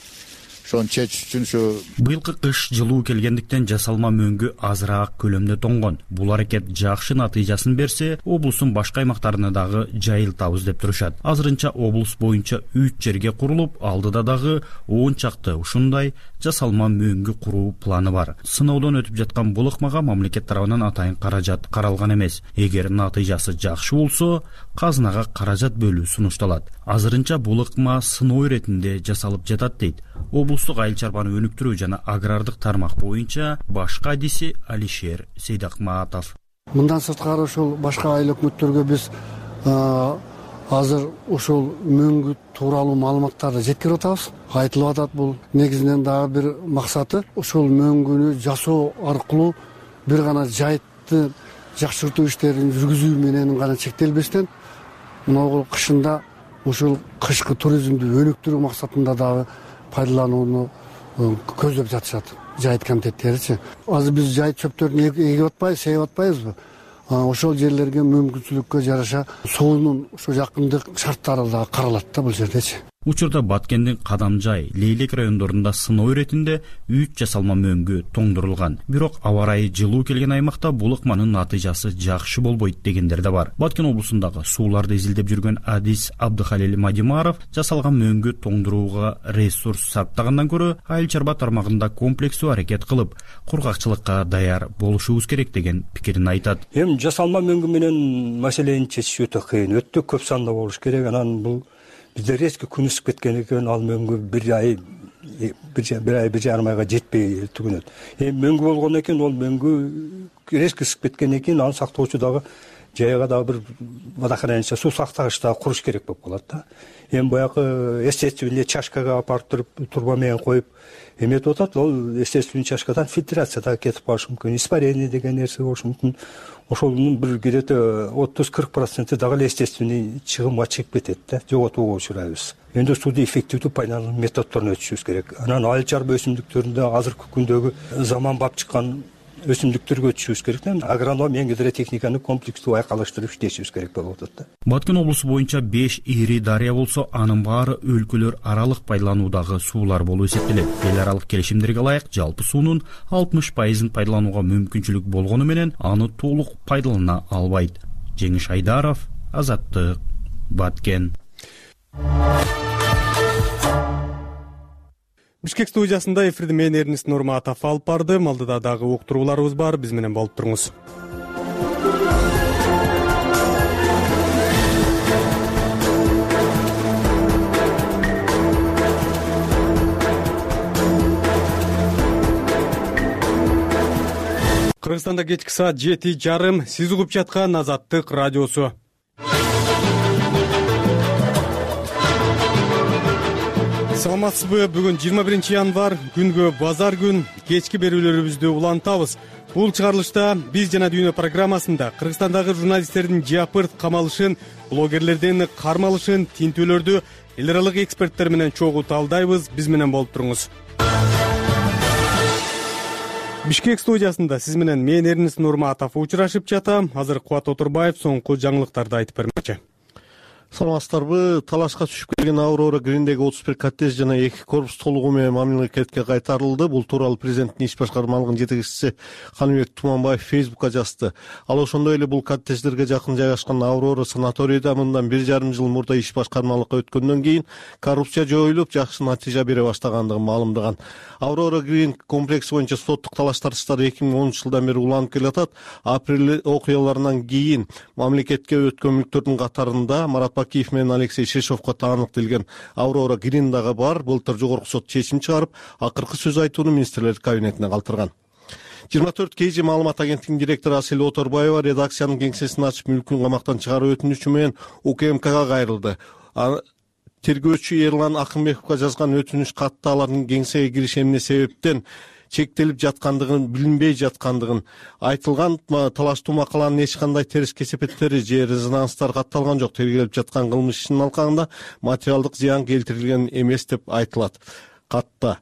[SPEAKER 12] ошону чечиш үчүн ушу
[SPEAKER 3] быйылкы кыш жылуу келгендиктен жасалма мөңгү азыраак көлөмдө тоңгон. Бул аракет жакшы натыйжасын берсе, облустун башка аймактарына дагы жайылтабыз деп турушат. Азырынча облус боюнча үч жерге курулуп, алдыда дагы он чакты ушундай жасалма мөңгү куруу планы бар. Сыноодон өтүп жаткан бул ыкмага мамлекет тарабынан атайын каражат каралган эмес. Эгер натыйжасы жакшы болсо, казынага каражат бөлүү сунушталат. Азырынча бул ыкма сыноо иретинде жасалып жатат дейт облустук айыл чарбаны өнүктүрүү жана агрардык тармак боюнча башкы адиси Алишер Сейдакматов.
[SPEAKER 13] Мындан сырткары ушул башка айыл өкмөттөргө биз азыр ушул мөңгү тууралуу маалыматтарды жеткирип атабыз. Айтылып атат бул негизинен дагы бир максаты ушул мөңгүнү жасоо аркылуу бир гана жайытты жакшыртуу иштерин жүргүзүү менен гана чектелбестен, мына кышында ушул кышкы туризмди өнүктүрүү максатында дагы пайдаланууну көздөп жатышат жайыт комитеттеричи. Азыр биз жайыт чөптөрүн эгип атпайбыз, сейип атпайбызбы? Ошол жерлерге мүмкүнчүлүккө жараша суунун ошо жакындык шарттары дагы каралат да бул жердечи.
[SPEAKER 3] Учурда Баткендин Кадамжай, Лейлек райондорунда сыноо иретинде үч жасалма мөңгү тоңдурулган. Бирок аба ырайы жылуу келген аймакта бул ыкманын натыйжасы жакшы болбойт дегендер да бар. Баткен облусундагы сууларды изилдеп жүргөн адис Абдыхалил Мадимаров жасалган мөңгү тоңдурууга ресурс сарптагандан көрө айыл чарба тармагында комплекстүү аракет кылып, кургакчылыкка даяр болушубуз керек деген пикирин айтат.
[SPEAKER 14] Эми жасалма мөңгү менен маселени чечиш өтө кыйын, өтө көп санда болуш керек. Анан бул бизде резко күн ысып кеткен экен, ал мөңгү бир ай бир ай бир жарым айга жетпей түгөнөт. Эми мөңгү болгондон кийин ол мөңгү резко ысып кеткенден кийин аны сактоочу дагы жайга дагы бир водохранилище суу сактагыч дагы куруш керек болуп калат да. Эми баягы естественный чашкага алып барып туруп турба менен коюп эметип атат, ол естественный чашкадан фильтрация дагы кетип калышы мүмкүн, испарение деген нерсе болушу мүмкүн. Ошонун бир где-то отуз кырк проценти дагы эле естественный чыгымга чыгып кетет да, жоготууга учурайбыз. Эми сууну эффективдүү пайдалануу методдорун өтүшүбүз керек. Анан айыл чарба өсүмдүктөрүндө азыркы күндөгү заманбап чыккан өсүмдүктөргө өтүшүбүз керек да. Агроном менен гидротехниканы комплекстүү айкалыштырып иштешибиз керек болуп атат да.
[SPEAKER 15] Баткен облусу боюнча беш ири дарыя болсо, анын баары өлкөлөр аралык пайдалануудагы суулар болуп эсептелет. Эл аралык келишимдерге ылайык жалпы суунун алтымыш пайызын пайдаланууга мүмкүнчүлүк болгону менен аны толук пайдалана албайт. Жеңиш Айдаров, Азаттык, Баткен.
[SPEAKER 1] Бишкек студиясында эфирди мен Эрнест Нурматов алып бардым. Алдыда дагы уктурууларыбыз бар, биз менен болуп туруңуз. Кыргызстанда кечки саат жети жарым, сиз угуп жаткан Азаттык радиосу. Саламатсызбы? Бүгүн жыйырма биринчи январь, күнгө базар күн, кечки берүүлөрүбүздү улантабыз. Бул чыгарылышта биз жана дүйнө программасында Кыргызстандагы журналисттердин жапырт камалышын, блогерлердин кармалышын, тинтүүлөрдү эл аралык эксперттер менен чогуу талдайбыз. Биз менен болуп туруңуз. Бишкек студиясында сиз менен мен Эрнест Нурматов учурашып жатам. Азыр Кубат Отурбаев соңку жаңылыктарды айтып бермекчи.
[SPEAKER 5] Саламатсыздарбы? Талашка түшүп келген Аврора Гриндеги отуз бир коттедж жана эки корпус толугу менен мамлекетке кайтарылды. Бул тууралуу президенттин иш башкармалыгынын жетекчиси Каныбек Туманбаев Фейсбукка жазды. Ал ошондой эле бул коттедждерге жакын жайгашкан Аврора санаторийда мындан бир жарым жыл мурда иш башкармалыкка өткөндөн кийин коррупция жоюлуп, жакшы натыйжа бере баштагандыгын маалымдаган. Аврора Грин комплекси боюнча соттук талаш тартыштары эки миң онунчу жылдан бери уланып келатат. Апрель окуяларынан кийин мамлекетке өткөн мүлктөрдүн катарында Марат Бакиев менен Алексей Шишовго таандык делген Аврора Грин дагы бар. Былтыр жогорку сот чечим чыгарып, акыркы сөз айтууну министрлер кабинетине калтырган. жыйырма төрт кей жи маалымат агенттигинин директору Асель Оторбаева редакциянын кеңсесин ачып мүлкүн камактан чыгаруу өтүнүчү менен УКМКга кайрылды. Тергөөчү Эрлан Акынбековго жазган өтүнүч катта алардын кеңсеге кириши эмне себептен чектелип жаткандыгын, билинбей жаткандыгын айтылган. Талаштуу макаланын эч кандай терс кесепеттери же резонанстар катталган жок. Тергелип жаткан кылмыш ишинин алкагында материалдык зыян келтирилген эмес деп айтылат катта.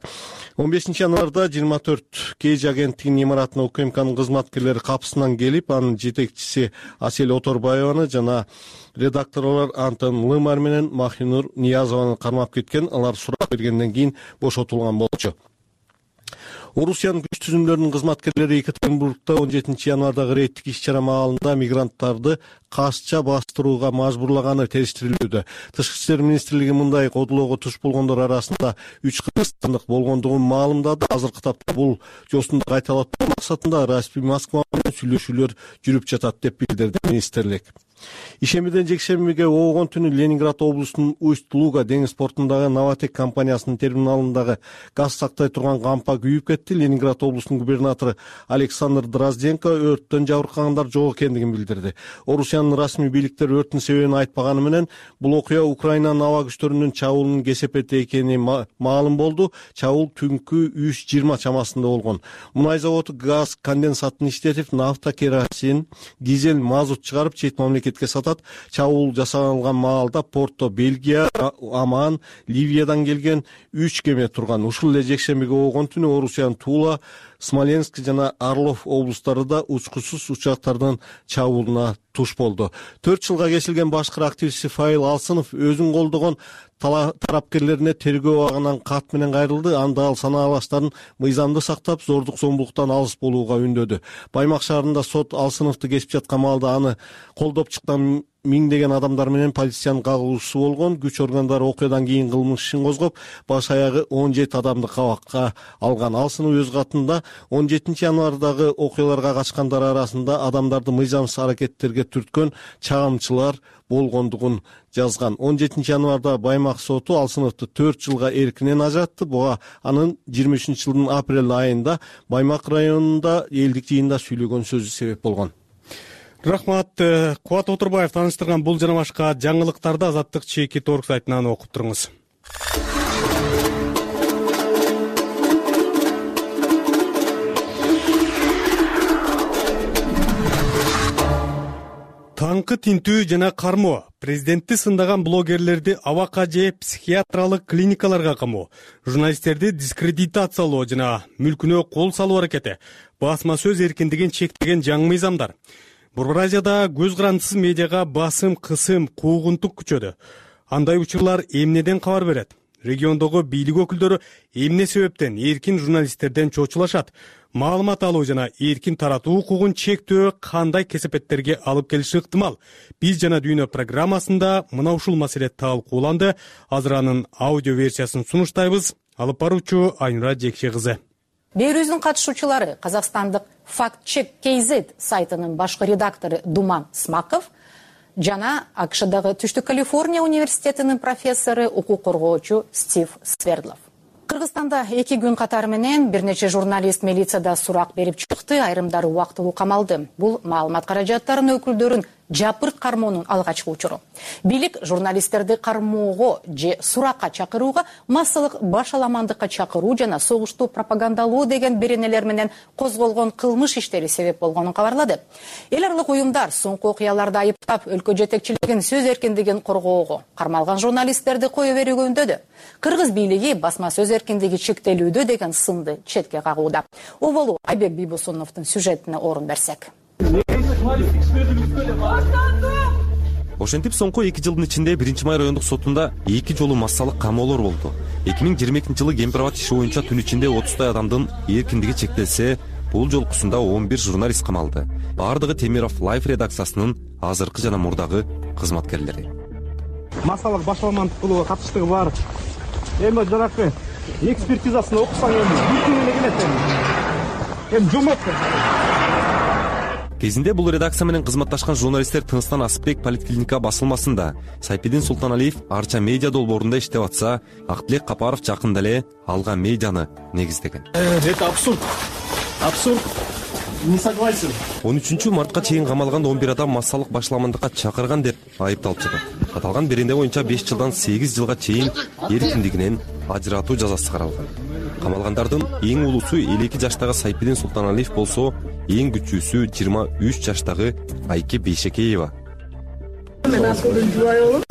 [SPEAKER 5] он бешинчи январда жыйырма төрт кей жи агенттигинин имаратына УКМКнын кызматкерлери капысынан келип, анын жетекчиси Асель Оторбаеваны жана редакторлор Антон Лымар менен Махинур Ниязованы кармап кеткен. Алар сурак бергенден кийин бошотулган болчу. Орусиянын күч түзүмдөрүнүн кызматкерлери Екатеринбургда он жетинчи январдагы рейдтик иш-чара маалында мигранттарды кашча бастырууга мажбурлаганы териштирилүүдө. Тышкы иштер министрлиги мындай кодулоого туш болгондор арасында үч кыргызстандык болгондугун маалымдады. Азыркы тапта бул жосунду кайталатуу максатында расмий Москва менен сүйлөшүүлөр жүрүп жатат деп билдирди министрлик. Ишембиден жекшембиге оогон түнү Ленинград облусунун Усть-Луга деңиз портундагы Новотек компаниясынын терминалындагы газ сактай турган кампа күйүп кетти. Ленинград облусунун губернатору Александр Дрозденко өрттөн жабыркагандар жок экендигин билдирди. Орусиянын расмий бийликтери өрттүн себебин айтпаганы менен бул окуя Украинанын аба күчтөрүнүн чабуулунун кесепети экени маалым болду. Чабуул түнкү үч жыйырма чамасында болгон. Мунай заводу газ конденсатын иштетип, нафта, керосин, дизель, мазут чыгарып чет мамлекетке сатат. Чабуул жасалган маалда портто Бельгия, Оман, Ливиядан келген үч кеме турган. Ушул эле жекшембиге оогон түнү Орусиянын Тула, Смоленск жана Орлов облустарында учкусуз учактардын чабуулуна туш болду. төрт жылга кесилген башкы активист Фаил Алсынов өзүн колдогон тарапкерлерине тергөө абагынан кат менен кайрылды. Анда ал санаалаштарын мыйзамды сактап, зордук зомбулуктан алыс болууга үндөдү. Баймак шаарында сот Алсыновду кесип жаткан маалда аны колдоп чыккан миңдеген адамдар менен полициянын кагуусу болгон. Күч органдары окуядан кийин кылмыш ишин козгоп, баш аягы он жети адамды кабакка алган. Алсынов өз катында он жетинчи январдагы окуяларга качкандар арасында адамдарды мыйзамсыз аракеттерге түрткөн чагымчылар болгондугун жазган. он жетинчи январда Баймак соту Алсыновду төрт жылга эркинен ажыратты. Буга анын жыйырма үчүнчү жылдын апрель айында Баймак районунда элдик жыйында сүйлөгөн сөзү себеп болгон.
[SPEAKER 1] Рахмат. Кубат Отурбаев тааныштырган бул жана башка жаңылыктарды Азаттык чеки торг сайтынан окуп туруңуз. Таңкы тинтүү жана кармоо, президентти сындаган блогерлерди абакка же психиатриялык клиникаларга камоо, журналисттерди дискредитациялоо жана мүлкүнө кол салуу аракети, басма сөз эркиндигин чектеген жаңы мыйзамдар. Борбор Азияда көз карандысыз медиага басым, кысым, куугунтук күчөдү. Андай учурлар эмнеден кабар берет? Региондогу бийлик өкүлдөрү эмне себептен эркин журналисттерден чочулашат? Маалымат алуу жана эркин таратуу укугун чектөө кандай кесепеттерге алып келиши ыктымал? Биз жана дүйнө программасында мына ушул маселе талкууланды. Азыр анын аудио версиясын сунуштайбыз. Алып баруучу Айнура Жекше кызы.
[SPEAKER 16] Берүүбүздүн катышуучулары казакстандык фактчек кз сайтынын башкы редактору Думан Смаков жана АКШдагы Түштүк Калифорния университетинин профессору, укук коргоочу Стив Свердлов. Кыргызстанда эки күн катары менен бир нече журналист милицияда сурак берип чыкты, айрымдары убактылуу камалды. Бул маалымат каражаттарынын өкүлдөрүн жапырт кармоонун алгачкы учуру. Бийлик журналисттерди кармоого же суракка чакырууга, массалык башаламандыкка чакыруу жана согушту пропагандалоо деген беренелер менен козголгон кылмыш иштери себеп болгонун кабарлады. Эл аралык уюмдар соңку окуяларды айыптап, өлкө жетекчилигин сөз эркиндигин коргоого, кармалган журналисттерди кое берүүгө үндөдү. Кыргыз бийлиги басма сөз эркиндиги чектелүүдө деген сынды четке кагууда. Оболу Айбек Бийбосуновдун сюжетине орун берсек.
[SPEAKER 17] Ошентип соңку эки жылдын ичинде биринчи май райондук сотунда эки жолу массалык камоолор болду. эки миң жыйырма экинчи жылы Кемпирабад иши боюнча түн ичинде отуздай адамдын эркиндиги чектелсе, бул жолкусунда он бир журналист камалды. Бардыгы Темиров Лайф редакциясынын азыркы жана мурдагы кызматкерлери.
[SPEAKER 18] Массалык башаламандык кылууга катыштыгы бар. Эми жанакы экспертизасын окусаң эми бир күн эле келет эми. Эми жомот.
[SPEAKER 17] Кезинде бул редакция менен кызматташкан журналисттер Тыныстан Асыпбек поликлиника басылмасында, Сайпидин Султаналиев Арча медиа долбоорунда иштеп атса, Актилек Капаров жакында эле алган медианы негиздеген.
[SPEAKER 18] Это абсурд. Абсурд. Не согласен.
[SPEAKER 17] он үчүнчү мартка чейин камалган он бир адам массалык башаламандыкка чакырган деп айыпталып чыгат. Аталган беренде боюнча беш жылдан сегиз жылга чейин эркиндигинен ажыратуу жазасы каралган. Камалгандардын эң улуусу элүү эки жаштагы Сайпидин Султаналиев болсо, эң күчүүсү жыйырма үч жаштагы Айке Бейшекеева.
[SPEAKER 19] Мен Асылдын жубайы болом.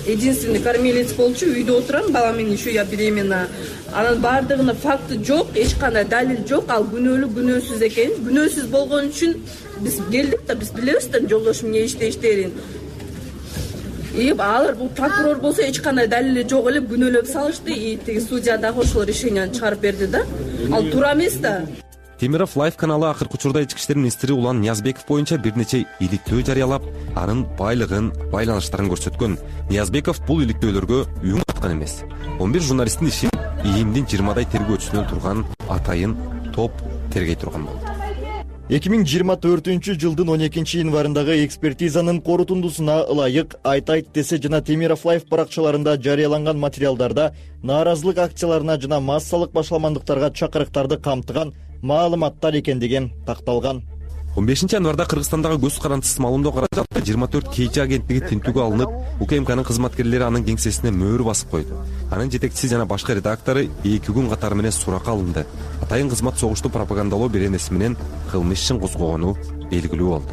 [SPEAKER 19] Единственный кормилец болчу, үйдө отурам, балам менен еще я беременна. Анын бардыгына факты жок, эч кандай далил жок, ал күнөөлүү, күнөөсүз экен. Күнөөсүз болгон үчүн биз келдик да, биз билебиз да жолдошум эмне иштештерин. И алар бул прокурор болсо эч кандай далили жок эле күнөөлөп салышты, и тиги судья дагы ошол решенияны чыгарып берди да. Ал туура эмес да.
[SPEAKER 17] Темиров Лайф каналы акыркы учурда ички иштер министри Улан Ниязбеков боюнча бир нече иликтөө жарыялап, анын байлыгын, байланыштарын көрсөткөн. Ниязбеков бул иликтөөлөргө үн каткан эмес. он бир журналисттин ишин ИИМдин жыйырмадай тергөөчүсүнөн турган атайын топ тергей турган болду.
[SPEAKER 20] эки миң жыйырма төртүнчү жылдын он экинчи январындагы экспертизанын корутундусуна ылайык айтайт десе жана Темиров Лайф баракчаларында жарыяланган материалдарда нааразылык акцияларына жана массалык башаламандыктарга чакырыктарды камтыган маалыматтар экендиги такталган.
[SPEAKER 17] он бешинчи январда Кыргызстандагы көз карандысыз маалымдоо каражаты жыйырма төрт Кж агенттиги тинтүүгө алынып, УКМКнын кызматкерлери анын кеңсесине мөөр басып койду. Анын жетекчиси жана башкы редактору эки күн катары менен суракка алынды. Атайын кызмат согушту пропагандалоо беренеси менен кылмыш ишин козгогону белгилүү болду.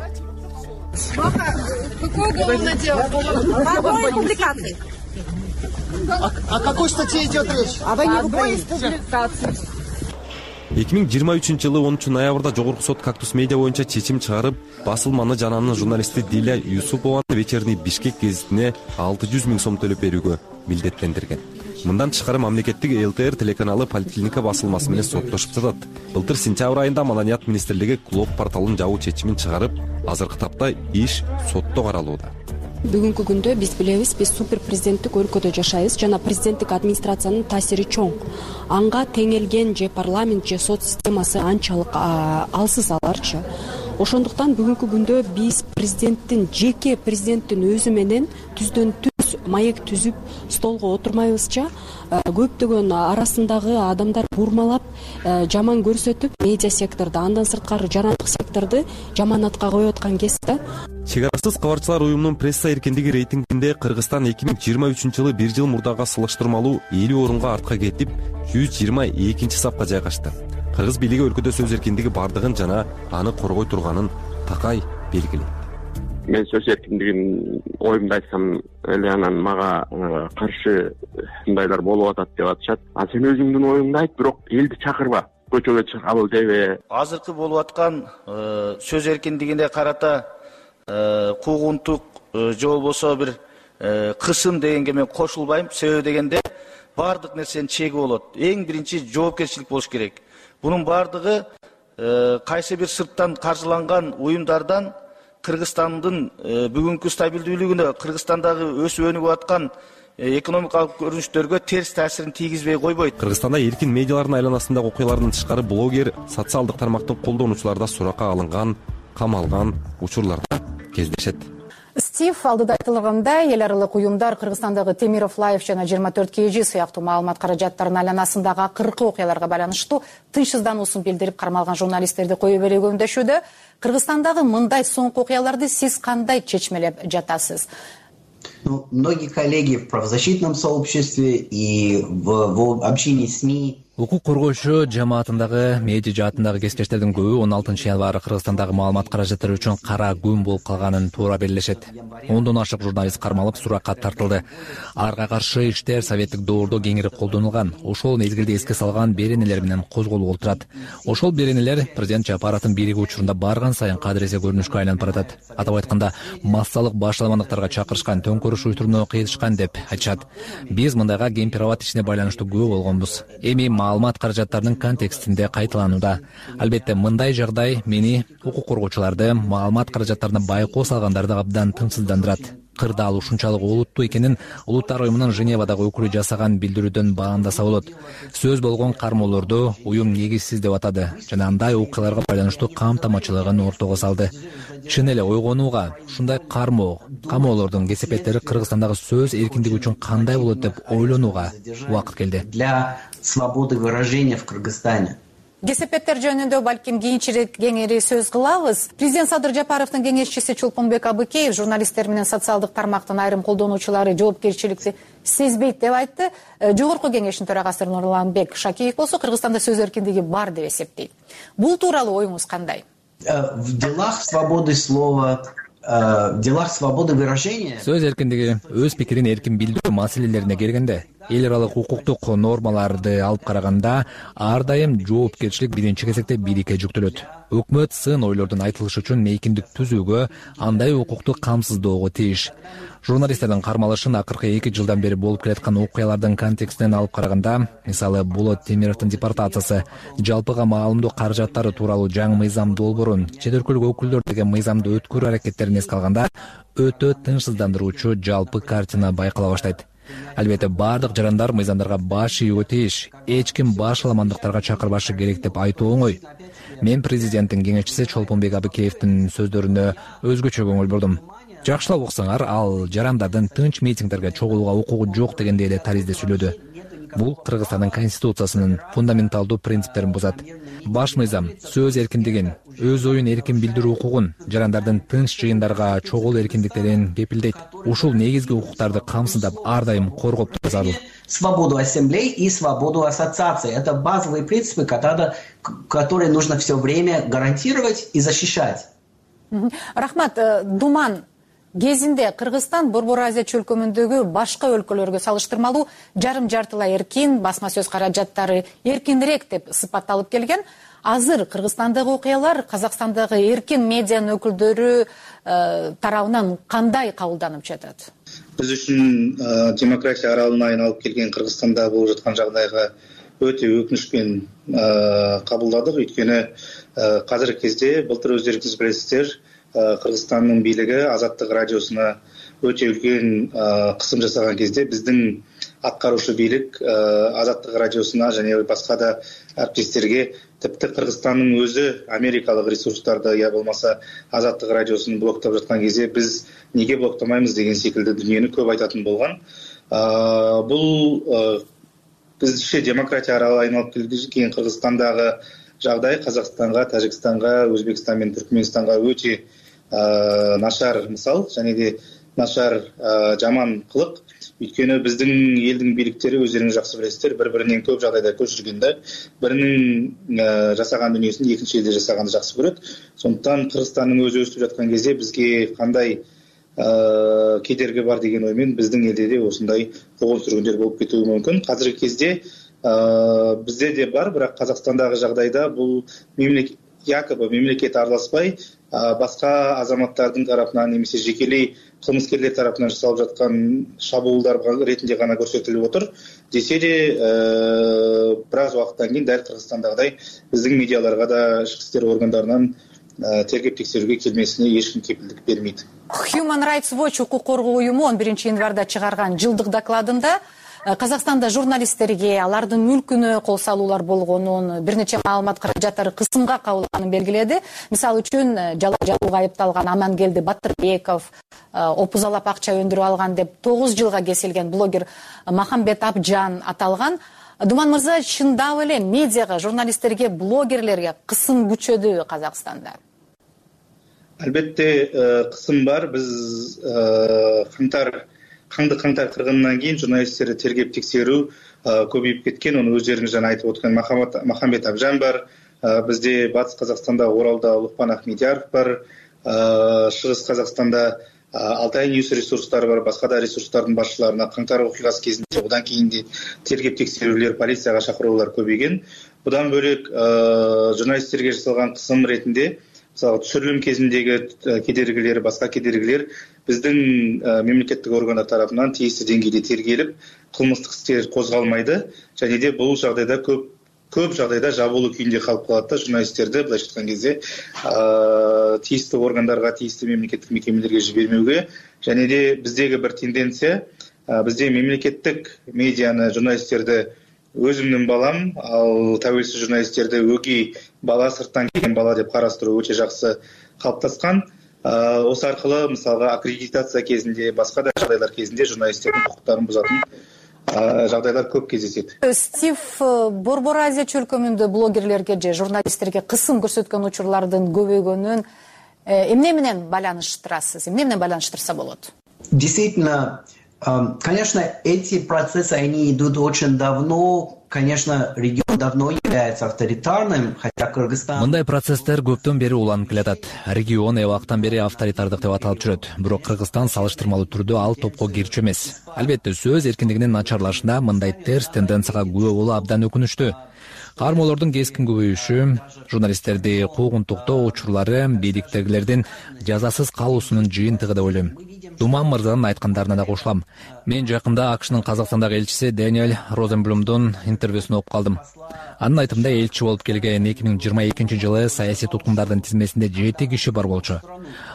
[SPEAKER 18] О какой статье идет речь? О войне в Украине.
[SPEAKER 17] эки миң жыйырма үчүнчү жылы онунчу ноябрда жогорку сот Кактус медиа боюнча чечим чыгарып, басылманы жана анын журналисти Диля Юсупованын вечерний Бишкек гезитине алты жүз миң сом төлөп берүүгө милдеттендирген. Мындан тышкары мамлекеттик ЛТР телеканалы поликлиника басылмасы менен соттошуп жатат. Былтыр сентябрь айында Маданият министрлиги Клоп порталын жабуу чечимин чыгарып, азыркы тапта иш сотто каралууда.
[SPEAKER 21] Бүгүнкү күндө биз билебиз, биз супер президенттик өлкөдө жашайбыз жана президенттик администрациянын таасири чоң. Анга теңелген же парламент же сот системасы анчалык алсыз аларчы. Ошондуктан бүгүнкү күндө биз президенттин, жеке президенттин өзү менен түздөн түз маек түзүп столго отурмайбызча көптөгөн арасындагы адамдар бурмалап жаман көрсөтүп медиа секторду андан сырткары жарандык секторду жаманатка коюп аткан кез да.
[SPEAKER 17] Чек арасыз кабарчылар уюмунун пресса эркиндиги рейтингинде Кыргызстан эки миң жыйырма үчүнчү жылы бир жыл мурдага салыштырмалуу элүү орунга артка кетип, жүз жыйырма экинчи сапка жайгашты. Кыргыз бийлиги өлкөдө сөз эркиндиги бардыгын жана аны коргой турганын такай белгилейт.
[SPEAKER 2] Мен сөз эркиндигин оюмду айтсам эле анан мага каршы мындайлар болуп атат деп атышат. А сен өзүңдүн оюңду айт, бирок элди чакырба, көчөгө чыгабыл дебе.
[SPEAKER 22] Азыркы болуп аткан сөз эркиндигине карата куугунтук же болбосо бир кысым дегенге мен кошулбайм. Себеби дегенде баардык нерсенин чеги болот. Эң биринчи жоопкерчилик болуш керек. Бунун баардыгы кайсы бир сырттан каржыланган уюмдардан Кыргызстандын бүгүнкү стабилдүүлүгүнө, Кыргызстандагы өсүп өнүгүп аткан экономикалык көрүнүштөргө терс таасирин тийгизбей койбойт.
[SPEAKER 17] Кыргызстанда эркин медиалардын айланасындагы окуялардан тышкары блогер, социалдык тармактын колдонуучуларда суракка алынган, камалган учурларда кездешет.
[SPEAKER 16] Стив алдыда айтылгандай, эл аралык уюмдар Кыргызстандагы Темиров Лайф жана жыйырма төрт кей жи сыяктуу маалымат каражаттарынын айланасындагы акыркы окуяларга байланыштуу тынчсыздануусун билдирип кармалган журналисттерди кое бере көмдөшүүдө. Кыргызстандагы мындай соңку окуяларды сиз кандай чечмелеп жатасыз?
[SPEAKER 23] Ну, многие коллеги в правозащитном сообществе и в, в общении с СМИ.
[SPEAKER 24] Укук коргоочу жамаатындагы медиа жаатындагы кесиптештердин көбү он алтынчы январь Кыргызстандагы маалымат каражаттары үчүн кара күн болуп калганын туура белгилешет. Ондон ашык журналист кармалып суракка тартылды. Арга каршы иштер советтик доордо кеңири колдонулган. Ошол мезгилде эске салган беренелер менен козголуп отурат. Ошол беренелер президент Жапаровдун бийлиги учурунда барган сайын кадыресе көрүнүшкө айланып баратат. Атап айтканда, массалык башаламандыктарга чакырышкан, төңкөрүш уюштурууну кыйытышкан деп айтышат. Биз мындайга кемпир-абад ишине байланыштуу күбө болгонбуз. Эми маалымат каражаттарынын контекстинде кайталанууда. Албетте мындай жагдай мени укук коргоочуларды маалымат каражаттарына байкоо салгандарды абдан тынчсыздандырат. Кырдаал ушунчалык олуттуу экенин Улуттар уюмунун Женевадагы өкүлү жасаган билдирүүдөн баамдаса болот. Сөз болгон кармоолорду уюм негизсиз деп атады жана андай окуяларга байланыштуу камтамачылыгын ортого салды. Чын эле ойгонууга ушундай кармоо, камоолордун кесепеттери Кыргызстандагы сөз эркиндиги үчүн кандай болот деп ойлонууга убакыт келди.
[SPEAKER 23] Для свободы выражения в Кыргызстане.
[SPEAKER 16] Кесепеттер жөнүндө балким кийинчерээк кеңири сөз кылабыз. Президент Садыр Жапаровдун кеңешчиси Чолпонбек Абыкеев журналисттер менен социалдык тармактын айрым колдонуучулары жоопкерчиликти сезбейт деп айтты. Жогорку кеңештин төрагасы Нурланбек Шакиев болсо Кыргызстанда сөз эркиндиги бар деп эсептейт. Бул тууралуу оюңуз кандай?
[SPEAKER 23] В делах свободы слова, в делах свободы выражения.
[SPEAKER 24] Сөз эркиндиги, өз пикирин эркин билдирүү маселелерине келгенде, эл аралык укуктук нормаларды алып караганда ар дайым жоопкерчилик биринчи кезекте бийликке жүктөлөт. Өкмөт сын ойлордун айтылышы үчүн мейкиндик түзүүгө, андай укукту камсыздоого тийиш. Журналисттердин кармалышын акыркы эки жылдан бери болуп келаткан окуялардын контекстинен алып караганда, мисалы Болот Темировдун депортациясы, жалпыга маалымдоо каражаттары тууралуу жаңы мыйзам долбоорун, чет өлкөлүк өкүлдөр деген мыйзамды өткөрүү аракеттерин эске алганда, өтө тынчсыздандыруучу жалпы картина байкала баштайт. Албетте бардык жарандар мыйзамдарга баш ийүүгө тийиш, эч ким башаламандыктарга чакырбашы керек деп айтуу оңой. Мен президенттин кеңешчиси Чолпонбек Абыкеевдин сөздөрүнө өзгөчө көңүл бурдум. Жакшылап уксаңар, ал жарандардын тынч митингдерге чогулууга укугу жок дегенде эле таризде сүйлөдү. Бул Кыргызстандын конституциясынын фундаменталдуу принциптерин бузат. Баш мыйзам сөз эркиндигин, өз оюн эркин билдирүү укугун, жарандардын тынч жыйындарга чогулуу эркиндиктерин кепилдейт. Ушул негизги укуктарды камсыздап ар дайым коргоп туруу зарыл.
[SPEAKER 23] Свободу ассамблей и свободу ассоциации. Это базовые принципы, которые нужно все время гарантировать и защищать.
[SPEAKER 16] Рахмат, Думан кезинде Кыргызстан Борбор Азия чөлкөмүндөгү башка өлкөлөргө салыштырмалуу жарым жартылай эркин, басма сөз каражаттары эркинирээк деп сыпатталып келген. Азыр Кыргызстандагы окуялар Казакстандагы эркин медианын өкүлдөрү тарабынан кандай кабылданып жатат?
[SPEAKER 25] Биз үчүн демократия аралына айналып келген Кыргызстанда болуп жаткан жагдайга өтө өкүнүчпен кабылдадык. Өйткөнү азыркы кезде былтыр өздөрүңүз билесиздер, Кыргызстандын бийлиги Азаттык радиосуна өтө үлкен кысым жасаган кезде биздин аткаруучу бийлик Азаттык радиосуна және башка да әріптестерге, тіпті Кыргызстандын өзү америкалык ресурстарды я болмаса Азаттык радиосун блоктоп жаткан кезде біз неге блоктамаймыз деген секилді дүниені көп айтатын болгон. Бул биздикче демократия аралы айналып келген Кыргызстандагы жагдай Казакстанга, Тажикстанга, Өзбекстан менен Түркмөнстанга өтө нашар мисал, және де нашар жаман кылык. Өйткені біздің елдің бийликтери өздеріңіз жақсы білесіздер, бір-бірінен көп жағдайда көшіргенде, бірінің жасаған дүниесін екінші елде жасағанды жақсы көреді. Сондықтан Кыргызстанның өзі өстіп жатқан кезде бізге қандай кедергі бар деген оймен біздің елде де осындай қуғын-сүргүндөр болып кетуі мүмкін. Қазіргі кезде бізде де бар, бірақ Қазақстандағы жағдайда бұл мемлекет якобы мемлекет араласпай, басқа азаматтардың тарапынан немесе жекелей кылмыскерлер тарапынан жасалып жаткан шабуылдар ретинде гана көрсөтүлүп отур. Десе де, бир аз убакыттан кийин дәл Кыргызстандагыдай биздин медиаларга да ички иштер органдарынан тергеп текшерүүгө келмесине эч ким кепилдик бермейт.
[SPEAKER 16] Human Rights Watch укук коргоо уюму он биринчи январда чыгарган жылдык докладында Казакстанда журналисттерге алардын мүлкүнө кол салуулар болгонун, бир нече маалымат каражаттары кысымга кабылганын белгиледи. Мисалы үчүн жала жабууга айыпталган Амангелди Батырбеков, опузалап акча өндүрүп алган деп тогуз жылга кесилген блогер Махамбет Абжан аталган. Думан мырза, чындап эле медиага, журналисттерге, блогерлерге кысым күчөдү Казакстанда?
[SPEAKER 25] Албетте кысым бар. Биз кантар Қаңды қаңтар кыргынынан кийин журналисттерди тергеп текшерүү көбөйүп кеткен. Оны өздеріңіз жана айтып өткөн Махамбет Абжан бар. Бизде Батыс Казакстанда, Оралда Лукман Ахмедияров бар. Шығыс Казакстанда Алтай Ньюс ресурстары бар. Басқа да ресурстардын башчыларына каңтар окуясы кезинде одан кийин де тергеп текшерүүлөр, полицияга чакыруулар көбөйгөн. Будан бөлек журналисттерге жасалган кысым ретинде мисалы түшүрүлүм кезиндеги кедергилер, басқа кедергилер биздин мемлекеттик органдар тарапынан тийиштүү деңгээлде тергелип, кылмыштык иштер козголмайды. Және де бул жагдайда көп көп жагдайда жабылуу күйүндө калып калат да, журналисттерди былайча айткан кезде тийиштүү органдарга, тийиштүү мемлекеттик мекемелерге жибермөөгө. Және де биздеги бир тенденция, бизде мемлекеттик медианы, журналисттерди өзүмдүн балам, ал тәуелсиз журналисттерди өгөй бала, сырттан келген бала деп карастыруу өтө жакшы калыптаскан. Осы аркылы мисалга аккредитация кезинде, басқа да жагдайлар кезинде журналисттердин укуктарын бузатын жагдайлар көп кездесет.
[SPEAKER 16] Стив, Борбор Азия чөлкөмүндө блогерлерге же журналисттерге кысым көрсөткөн учурлардын көбөйгөнүн эмне менен байланыштырасыз? Эмне менен байланыштырса болот?
[SPEAKER 23] Действительно, конечно, эти процессы, они идут очень давно. Конечно, регион давно является авторитарным, хотя Кыргызстан...
[SPEAKER 24] Мындай процесстер көптөн бери уланып келатат. Регион эбактан бери авторитардык деп аталып жүрөт. Бирок Кыргызстан салыштырмалуу түрдө ал топко кирчү эмес. Албетте, сөз эркиндигинин начарлашында мындай терс тенденцияга күбө болуу абдан өкүнүчтүү. Кармоолордун кескин көбөйүшү, журналисттерди куугунтуктоо учурлары бийликтегилердин жазасыз калуусунун жыйынтыгы деп ойлойм. Думан мырзанын айткандарына да кошулам. Мен жакында АКШнын Казакстандагы элчиси Дэниэл Розенблюмдун интервьюсун окуп калдым. Анын айтымында элчи болуп келген эки миң жыйырма экинчи жылы саясий туткундардын тизмесинде жети киши бар болчу.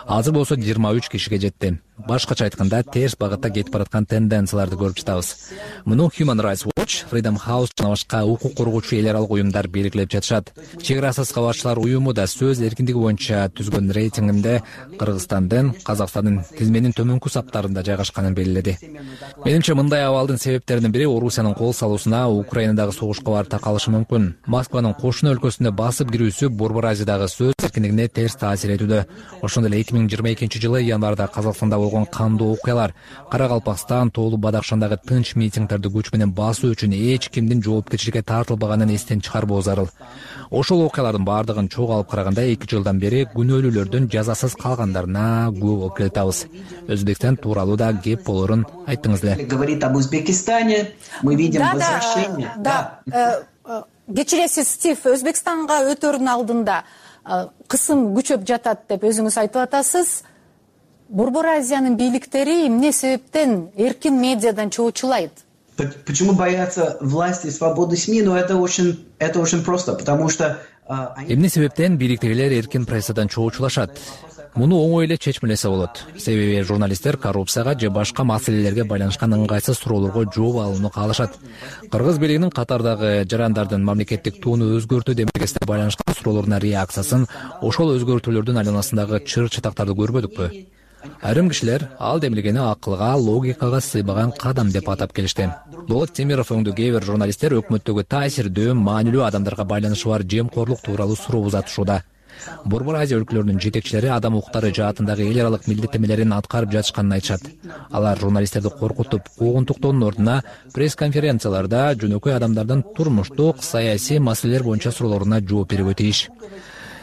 [SPEAKER 24] Азыр болсо жыйырма үч кишиге жетти. Башкача айтканда, терс багытта кетип бараткан тенденцияларды көрүп жатабыз. Муну Human Rights Watch, Freedom House жана башка укук коргоочу эл аралык уюмдар белгилеп жатышат. Чек арасыз кабарчылар уюму да сөз эркиндиги боюнча түзгөн рейтингинде Кыргызстандын, Казакстандын тизменин төмөнкү саптарында жайгашканын белгиледи. Менимче, мындай абалдын себептеринин бири Орусиянын кол салуусуна Украинадагы согушка барып такалышы мүмкүн. Москванын кошуна өлкөсүнө басып кирүүсү Борбор Азиядагы сөз эркиндигине терс таасир этүүдө. Ошондой эле эки миң жыйырма экинчи жылы январда Казакстанда болгон кандуу окуялар, Каракалпакстан, Тоолу Бадакшандагы тынч митингдерди күч менен басуу үчүн эч кимдин жоопкерчиликке тартылбаганын эстен чыгарбоо зарыл. Ошол окуялардын баардыгын чогуу алып караганда эки жылдан бери күнөөлүүлөрдүн жазасыз калгандарына күбө болуп келатабыз. Өзбекстан тууралуу да кеп болорун айттыңыз эле.
[SPEAKER 23] Говорит об Узбекистане, мы видим возвращение.
[SPEAKER 16] Да, кечиресиз, Стив, Өзбекстанга өтөрүнүн алдында кысым күчөп жатат деп өзүңүз айтып атасыз. Борбор Азиянын бийликтери эмне себептен эркин медиадан чоочулайт?
[SPEAKER 23] Почему боятся власти и свободы СМИ? Но это очень, это очень просто, потому что...
[SPEAKER 24] Эмне себептен бийликтегилер эркин прессадан чоочулашат? Муну оңой эле чечмелесе болот. Себеби журналисттер коррупцияга же башка маселелерге байланышкан ыңгайсыз суроолорго жооп алууну каалашат. Кыргыз бийлигинин катардагы жарандардын мамлекеттик тууну өзгөртүү демилгесине байланышкан суроолоруна реакциясын ошол өзгөртүүлөрдүн айланасындагы чыр чатактарды көрбөдүкпү? Айрым кишилер ал демилгени акылга, логикага сыйбаган кадам деп атап келишти. Болот Темиров өңдүү кээ бир журналисттер өкмөттөгү таасирдүү, маанилүү адамдарга байланышы бар жемкорлук тууралуу суроо узатышууда. Борбор Азия өлкөлөрүнүн жетекчилери адам укуктары жаатындагы эл аралык милдеттенмелерин аткарып жатышканын айтышат. Алар журналисттерди коркутуп, куугунтуктоонун ордуна пресс-конференцияларда жөнөкөй адамдардын турмуштук, саясий маселелер боюнча суроолоруна жооп берүүгө тийиш.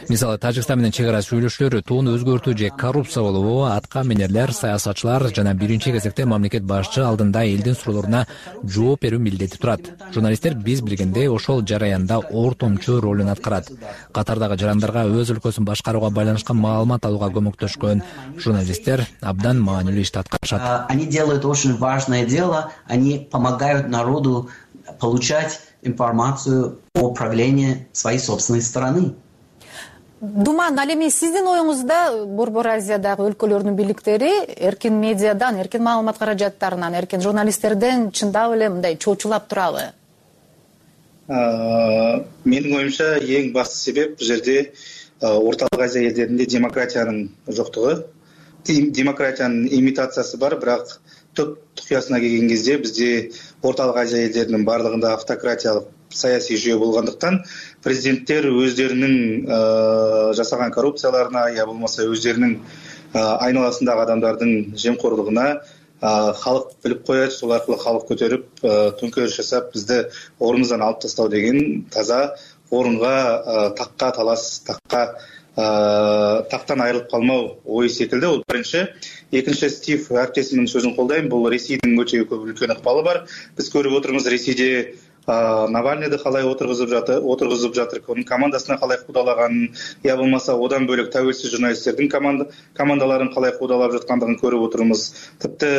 [SPEAKER 24] Мисалы, Тажикстан менен чек ара сүйлөшүүлөр тууну өзгөртүү же коррупция болобу, атка минерлер, саясатчылар жана биринчи кезекте мамлекет башчы алдында элдин суроолоруна жооп берүү милдети турат. Журналисттер биз билгендей ошол жараянда ортомчу ролун аткарат. Катардагы жарандарга өз өлкөсүн башкарууга байланышкан маалымат алууга көмөктөшкөн журналисттер абдан маанилүү ишти аткарышат.
[SPEAKER 23] Они делают очень важное дело, они помогают народу получать информацию о правлении своей собственной страны.
[SPEAKER 16] Думан, ал эми сиздин оюңузда Борбор Азиядагы өлкөлөрдүн бийликтери эркин медиадан, эркин маалымат каражаттарынан, эркин журналисттерден чындап эле мындай чоочулап турабы?
[SPEAKER 25] Менин оюмча эң басты себеп бул жерде Ортолук Азия элдеринде демократиянын жоктугу. Демократиянын имитациясы бар, бирок түп тукуясына келген кезде бизде Ортолук Азия элдеринин баардыгында автократиялык саясий жүйө болгондуктан президенттер өздөрүнүн жасаган коррупцияларына, я болбосо өздөрүнүн айналасындагы адамдардын жемкорлугуна халык билип коет, сол аркылуу халык көтөрүп, төңкөрүш жасап, бизди ордубуздан алып тастоо деген таза орунга такка талас, такка тактан айрылып калмау ой секилди. Бул биринчи. Экинчи, Стив әріптесімнің сөзін қолдаймын. Бұл Ресейдің өте көп үлкен ықпалы бар. Біз көріп отырмыз, Ресейде Навальныйды қалай отырғызып жатыр, отырғызып жатыр, оның командасына қалай қудалағанын, я болмаса одан бөлек тәуелсіз журналистердің командаларын қалай қудалап жатқандығын көріп отырмыз. Тіпті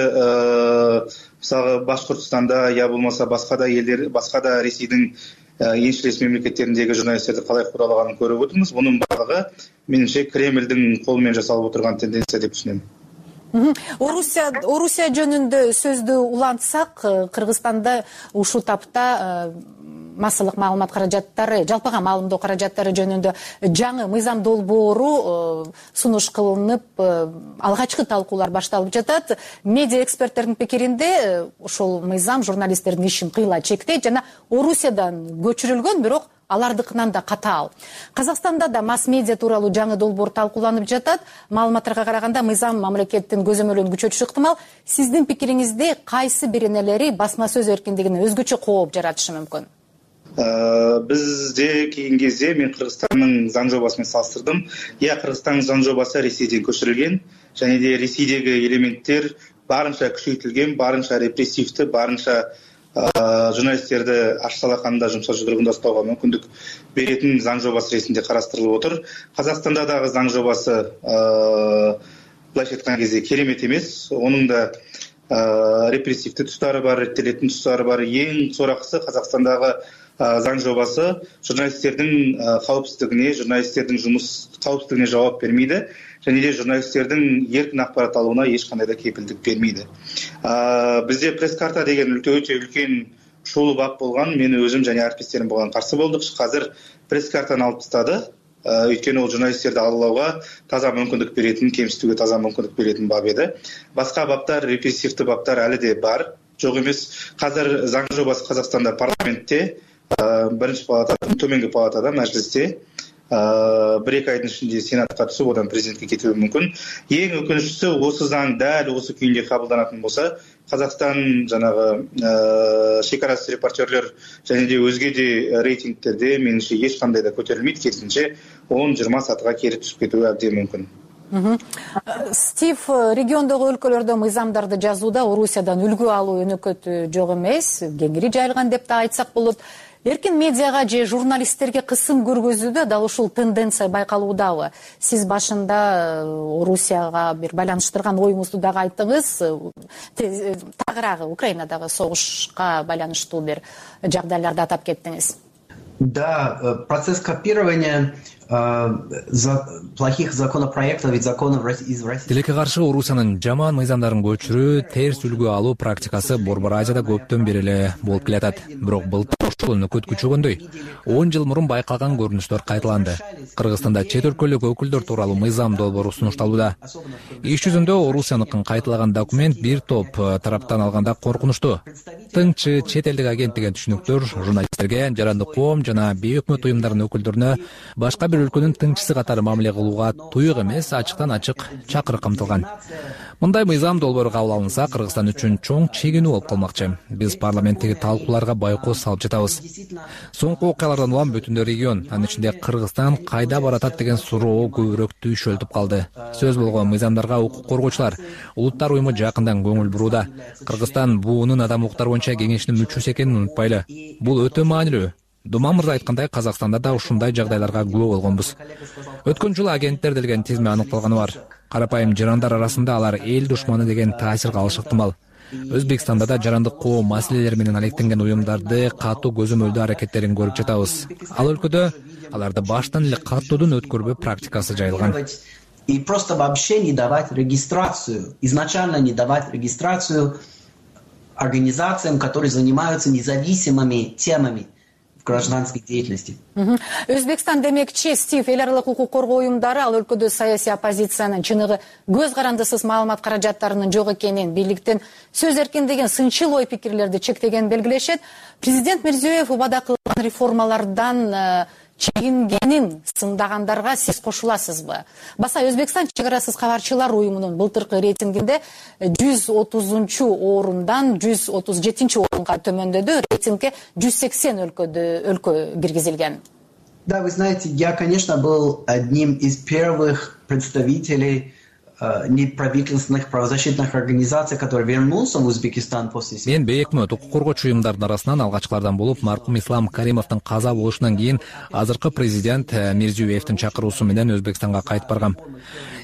[SPEAKER 25] мысалы Башқұртстанда, я болмаса басқа да елдер, басқа да Ресейдің еншілес мемлекеттеріндегі журналистерді қалай қудалағанын көріп отырмыз. Бұның барлығы меніңше Кремльдің қолымен жасалып отырған тенденция деп түсінемін.
[SPEAKER 16] Орусия, Орусия жөнүндө сөздү улантсак, Кыргызстанда ушул тапта массалык маалымат каражаттары, жалпыга маалымдоо каражаттары жөнүндө жаңы мыйзам долбоору сунуш кылынып, алгачкы талкуулар башталып жатат. Медиа эксперттердин пикиринде ушул мыйзам журналисттердин ишин кыйла чектейт жана Орусиядан көчүрүлгөн, бирок алардыкынан да катаал. Казакстанда да масс-медиа тууралуу жаңы долбоор талкууланып жатат. Маалыматтарга караганда мыйзам мамлекеттин көзөмөлүн күчөтүшү ыктымал. Сиздин пикириңизде кайсы бир энелери басма сөз эркиндигине өзгөчө кооп жаратышы мүмкүн?
[SPEAKER 25] Бизде кийин кезде мен Кыргызстандын заң жобасымен салыштырдым. Я Кыргызстандын заң жобасы Ресейден көчүрүлгөн, және де Ресейдеги элементтер барынча күчөйтүлгөн, барынча репрессивдүү, барынча журналисттерди аш салаканда жумшак жудругунда уктоого мүмкүндүк беретін заң жобасы ретинде карастырылып отыр. Казакстанда дагы заң жобасы былайча айткан кезде керемет эмес. Онун да репрессивдүү тустары бар, реттелетін тустары бар. Ең соракысы Казакстандагы заң жобасы журналисттердин кауіпсіздігіне, журналисттердин жұмыс кауіпсіздігіне жауап бермейді, және де журналисттердин еркин акпарат алууна ешқандай да кепилдик бермейді. Бізде пресс-карта деген өтө үлкен шулуу бап болгон, мен өзүм және әріптестерім болған каршы болдук. Қазір пресс-картаны алып тастады. Өйткені ол журналисттерди алуулауга таза мүмкүндүк беретін, кемсітүүгө таза мүмкүндүк беретін бап еді. Басқа баптар, репрессивдүү баптар әлі де бар. Жоқ емес. Қазір заң жобасы Қазақстанда парламентте, бірінші палатада, төменгі палатада, мәжілісте бір-екі айдың ішінде сенатқа түсіп, одан президентке кетуі мүмкін. Ең өкініштісі, осы заң дәл осы күйінде қабылданатын болса, Қазақстан жаңағы шекарасыз репортерлер және де өзге де рейтингтерде меніңше ешқандай да көтерілмейді, керісінше он-жыйырма сатыға кері түсіп кетуі әбден мүмкін.
[SPEAKER 16] Стив, региондогу өлкөлөрдө мыйзамдарды жазууда Орусиядан үлгү алуу өнөкөтү жок эмес, кеңири жайылган деп да айтсак болот. Эркин медиага же журналисттерге кысым көргөзүүдө дал ушул тенденция байкалуудабы? Сиз башында Орусияга бир байланыштырган оюңузду дагы айттыңыз. Тагыраагы Украинадагы согушка байланыштуу бир жагдайларды атап кеттиңиз.
[SPEAKER 23] Да, процесс копирования плохих законопроектов и законов из России.
[SPEAKER 24] Тилекке каршы Орусиянын жаман мыйзамдарын көчүрүү, терс үлгү алуу практикасы Борбор Азияда көптөн бери эле болуп келатат. Бирок былтыр ошол нөкөт күчөгөндөй он жыл мурун байкалган көрүнүштөр кайталанды. Кыргызстанда чет өлкөлүк өкүлдөр тууралуу мыйзам долбоору сунушталууда. Иш жүзүндө Орусияныкын кайталаган документ бир топ тараптан алганда коркунучтуу. Тыңчы, чет элдик агент деген түшүнүктөр журналисттерге, жарандык коом жана бейөкмөт уюмдарынын өкүлдөрүнө башка бир өлкөнүн тыңчысы катары мамиле кылууга туюк эмес, ачыктан ачык чакырык камтылган. Мындай мыйзам долбоору кабыл алынса, Кыргызстан үчүн чоң чегинүү болуп калмакчы. Биз парламенттеги талкууларга байкоос салып жатабыз. Соңку окуялардан улам бүтүн регион, анын ичинде Кыргызстан кайда баратат деген суроо көбүрөөк түйшөлтүп калды. Сөз болгон мыйзамдарга укук коргоочулар, улуттар уюму жакындан көңүл бурууда. Кыргызстан буунун адам укуктары боюнча кеңешинин мүчөсү экенин унутпайлы. Бул өтө маанилүү. Думан мырза айткандай, Казакстанда да ушундай жагдайларга күбө болгонбуз. Өткөн жылы агенттер делген тизме аныкталганы бар. Карапайым жарандар арасында алар эл душманы деген таасир калышы ыктымал. Өзбекстанда да жарандык коом маселелери менен алектенген уюмдарды катуу көзөмөлдөө аракеттерин көрүп жатабыз. Ал өлкөдө аларды баштан эле каттоодун өткөрбөө практикасы жайылган.
[SPEAKER 23] И просто вообще не давать регистрацию, изначально не давать регистрацию организациям, которые занимаются независимыми темами гражданской деятельности.
[SPEAKER 16] Өзбекстан демекчи, Стив, эл аралык укук коргоо уюмдары ал өлкөдө саясий оппозициянын чыныгы көз карандысыз маалымат каражаттарынын жок экенин, бийликтин сөз эркиндигин, сынчыл ой пикирлерди чектегенин белгилешет. Президент Мирзиёев убада кылган реформалардан чегингенин сындагандарга сиз кошуласызбы? Баса Өзбекстан чек арасыз кабарчылар уюмунун былтыркы рейтингинде жүз отузунчу орундан жүз отуз жетинчи орунга төмөндөдү. Рейтингге жүз сексен өлкөдө өлкө киргизилген.
[SPEAKER 23] Да, вы знаете, я, конечно, был одним из первых представителей неправительственных правозащитных организаций, который вернулся в Узбекистан после...
[SPEAKER 24] Мен бейөкмөт укук коргоочу уюмдардын арасынан алгачкылардан болуп, маркум Ислам Каримовдун каза болушунан кийин азыркы президент Мирзиёевдин чакыруусу менен Өзбекстанга кайтып баргам.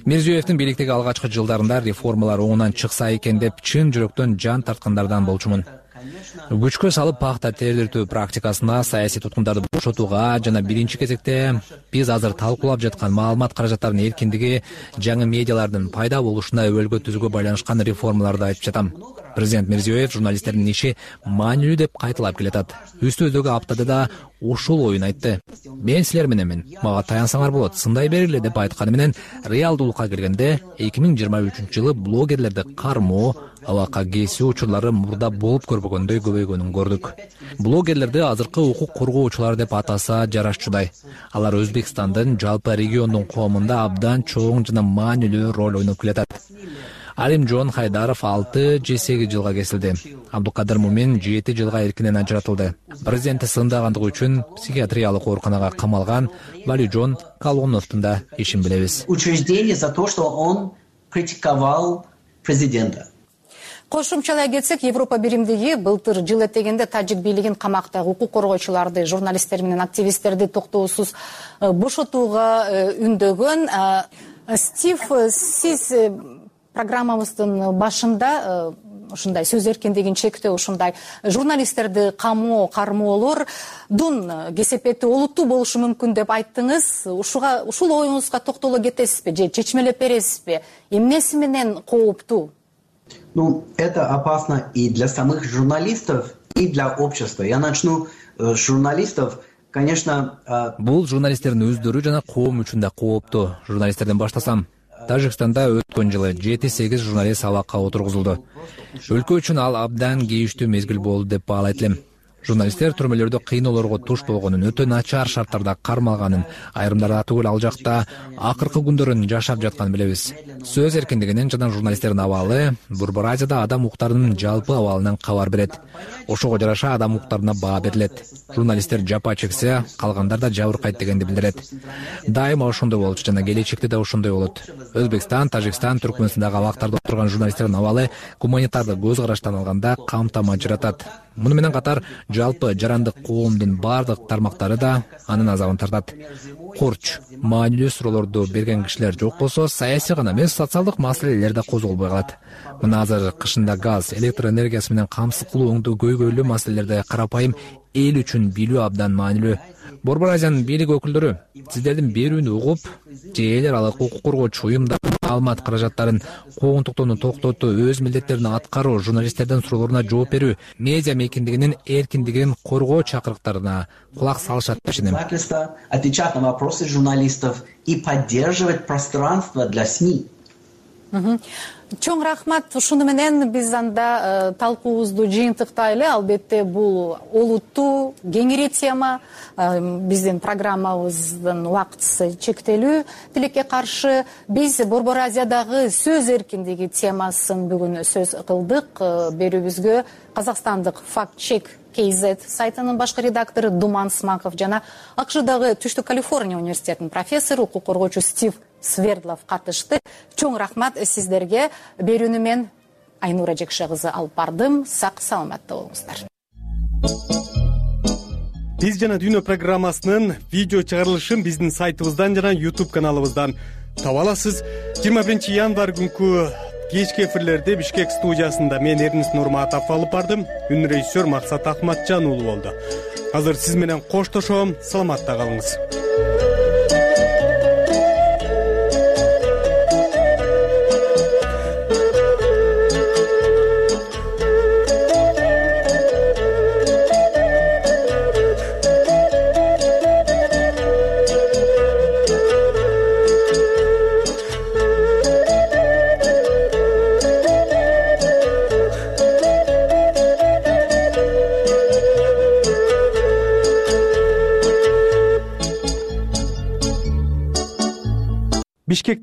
[SPEAKER 24] Мирзиёевдин бийликтеги алгачкы жылдарында реформалар оңунан чыкса экен деп чын жүрөктөн жан тарткандардан болчумун. Күчкө салып пахта тердиртүү практикасына, саясий туткундарды бошотууга жана биринчи кезекте биз азыр талкуулап жаткан маалымат каражаттарынын эркиндиги, жаңы медиалардын пайда болушуна өбөлгө түзүүгө байланышкан реформаларды айтып жатам. Президент Мирзиёев журналисттердин иши маанилүү деп кайталап келатат. Үстүздөгү аптада да ушул оюн айтты. Мен силер мененмин, мага таянсаңар болот, сындай бериле деп айтканы менен реалдуулукка келгенде эки миң жыйырма үчүнчү жылы блогерлерди кармоо, абакка кесүү учурлары мурда болуп көрбөгөндөй көбөйгөнүн көрдүк. Блогерлерди азыркы укук коргоочулар деп атаса жарашчудай. Алар Өзбекстандын жалпы региондун коомунда абдан чоң жана маанилүү роль ойноп келатат. Алимжон Хайдаров алты же сегиз жылга кесилди. Абдукадыр Мумин жети жылга эркинен ажыратылды. Президентти сындагандыгы үчүн психиатриялык ооруканага камалган Валижон Калоновдун да ишин билебиз.
[SPEAKER 23] Учреждение за то, что он критиковал президента.
[SPEAKER 16] Кошумчалай кетсек, Европа биримдиги былтыр жыл этегенде тажик бийлигин камактагы укук коргоочуларды, журналисттер менен активисттерди токтоосуз бошотууга үндөгөн. Стив, сиз программабыздын башында ушундай сөз эркиндигин чектөө, ушундай журналисттерди камоо, кармоолордун кесепети олуттуу болушу мүмкүн деп айттыңыз. Ушуга, ушул оюңузга токтоло кетесизби же чечмелеп бересизби? Эмнеси менен кооптуу?
[SPEAKER 23] Ну, это опасно и для самых журналистов, и для общества. Я начну с журналистов. Конечно,
[SPEAKER 24] бул журналисттердин өздөрү жана коом үчүн да кооптуу. Журналисттерден баштасам, Тажикстанда өткөн жылы жети сегиз журналист абакка отургузулду. Өлкө үчүн ал абдан кейиштүү мезгил болду деп баалайт элем. Журналисттер түрмөлөрдө кыйноолорго туш болгонун, өтө начар шарттарда кармалганын, айрымдары түгүл ал жакта акыркы күндөрүн жашап жатканын билебиз. Сөз эркиндигинен жана журналисттердин абалы Борбор Азияда адам укуктарынын жалпы абалынан кабар берет. Ошого жараша адам укуктарына баа берилет. Журналисттер жапа чексе, калгандар да жабыркайт дегенди билдирет. Дайыма ошондой болчу жана келечекте да ошондой болот. Өзбекстан, Тажикстан, Түркмөнстандагы абактарда отурган журналисттердин абалы гуманитардык көз караштан алганда камтама ажыратат. Муну менен катар жалпы жарандык коомдун бардык тармактары да анын азабын тартат. Корч, маанилүү суроолорду берген кишилер жок болсо, саясий гана эмес, социалдык маселелер да козголбой калат. Мына азыр кышында газ, электр энергиясы менен камсыз кылуу өңдүү көйгөйлүү маселелерде карапайым эл үчүн билүү абдан маанилүү. Борбор Азиянын бийлик өкүлдөрү сиздердин берүүнү угуп, же эл аралык укук коргоочу уюмдардын маалымат каражаттарын куугунтуктоону токтотуу, өз милдеттерин аткаруу, журналисттердин суроолоруна жооп берүү, медиа мейкиндигинин эркиндигин коргоо чакырыктарына кулак салышат деп ишенем.
[SPEAKER 23] Отвечать на вопросы журналистов и поддерживать пространство для СМИ.
[SPEAKER 16] Чоң рахмат. Ушуну менен биз анда талкуубузду жыйынтыктайлы. Албетте бул олуттуу, кеңири тема. Биздин программабыздын убактысы чектелүү. Тилекке каршы биз Борбор Азиядагы сөз эркиндиги темасын бүгүн сөз кылдык. Берүүбүзгө Казакстандык Fact Check кей зет сайтынын башкы редактору Думан Смаков жана АКШдагы Түштүк Калифорния университетинин профессору, укук коргоочу Стив Свердлов катышты. Чоң рахмат сиздерге. Берүүнү мен Айнура Жекше кызы алып бардым. Сак саламатта болуңуздар.
[SPEAKER 1] Биз жана Дүйнө программасынын видео чыгарылышын биздин сайтыбыздан жана YouTube каналыбыздан таба аласыз. жыйырма биринчи январь күнкү кечки эфирлерде Бишкек студиясында мен Эрнис Нурматов алып бардым. Үн режиссер Максат Акматжан уулу болду. Азыр сиз менен коштошом. Саламатта калыңыз.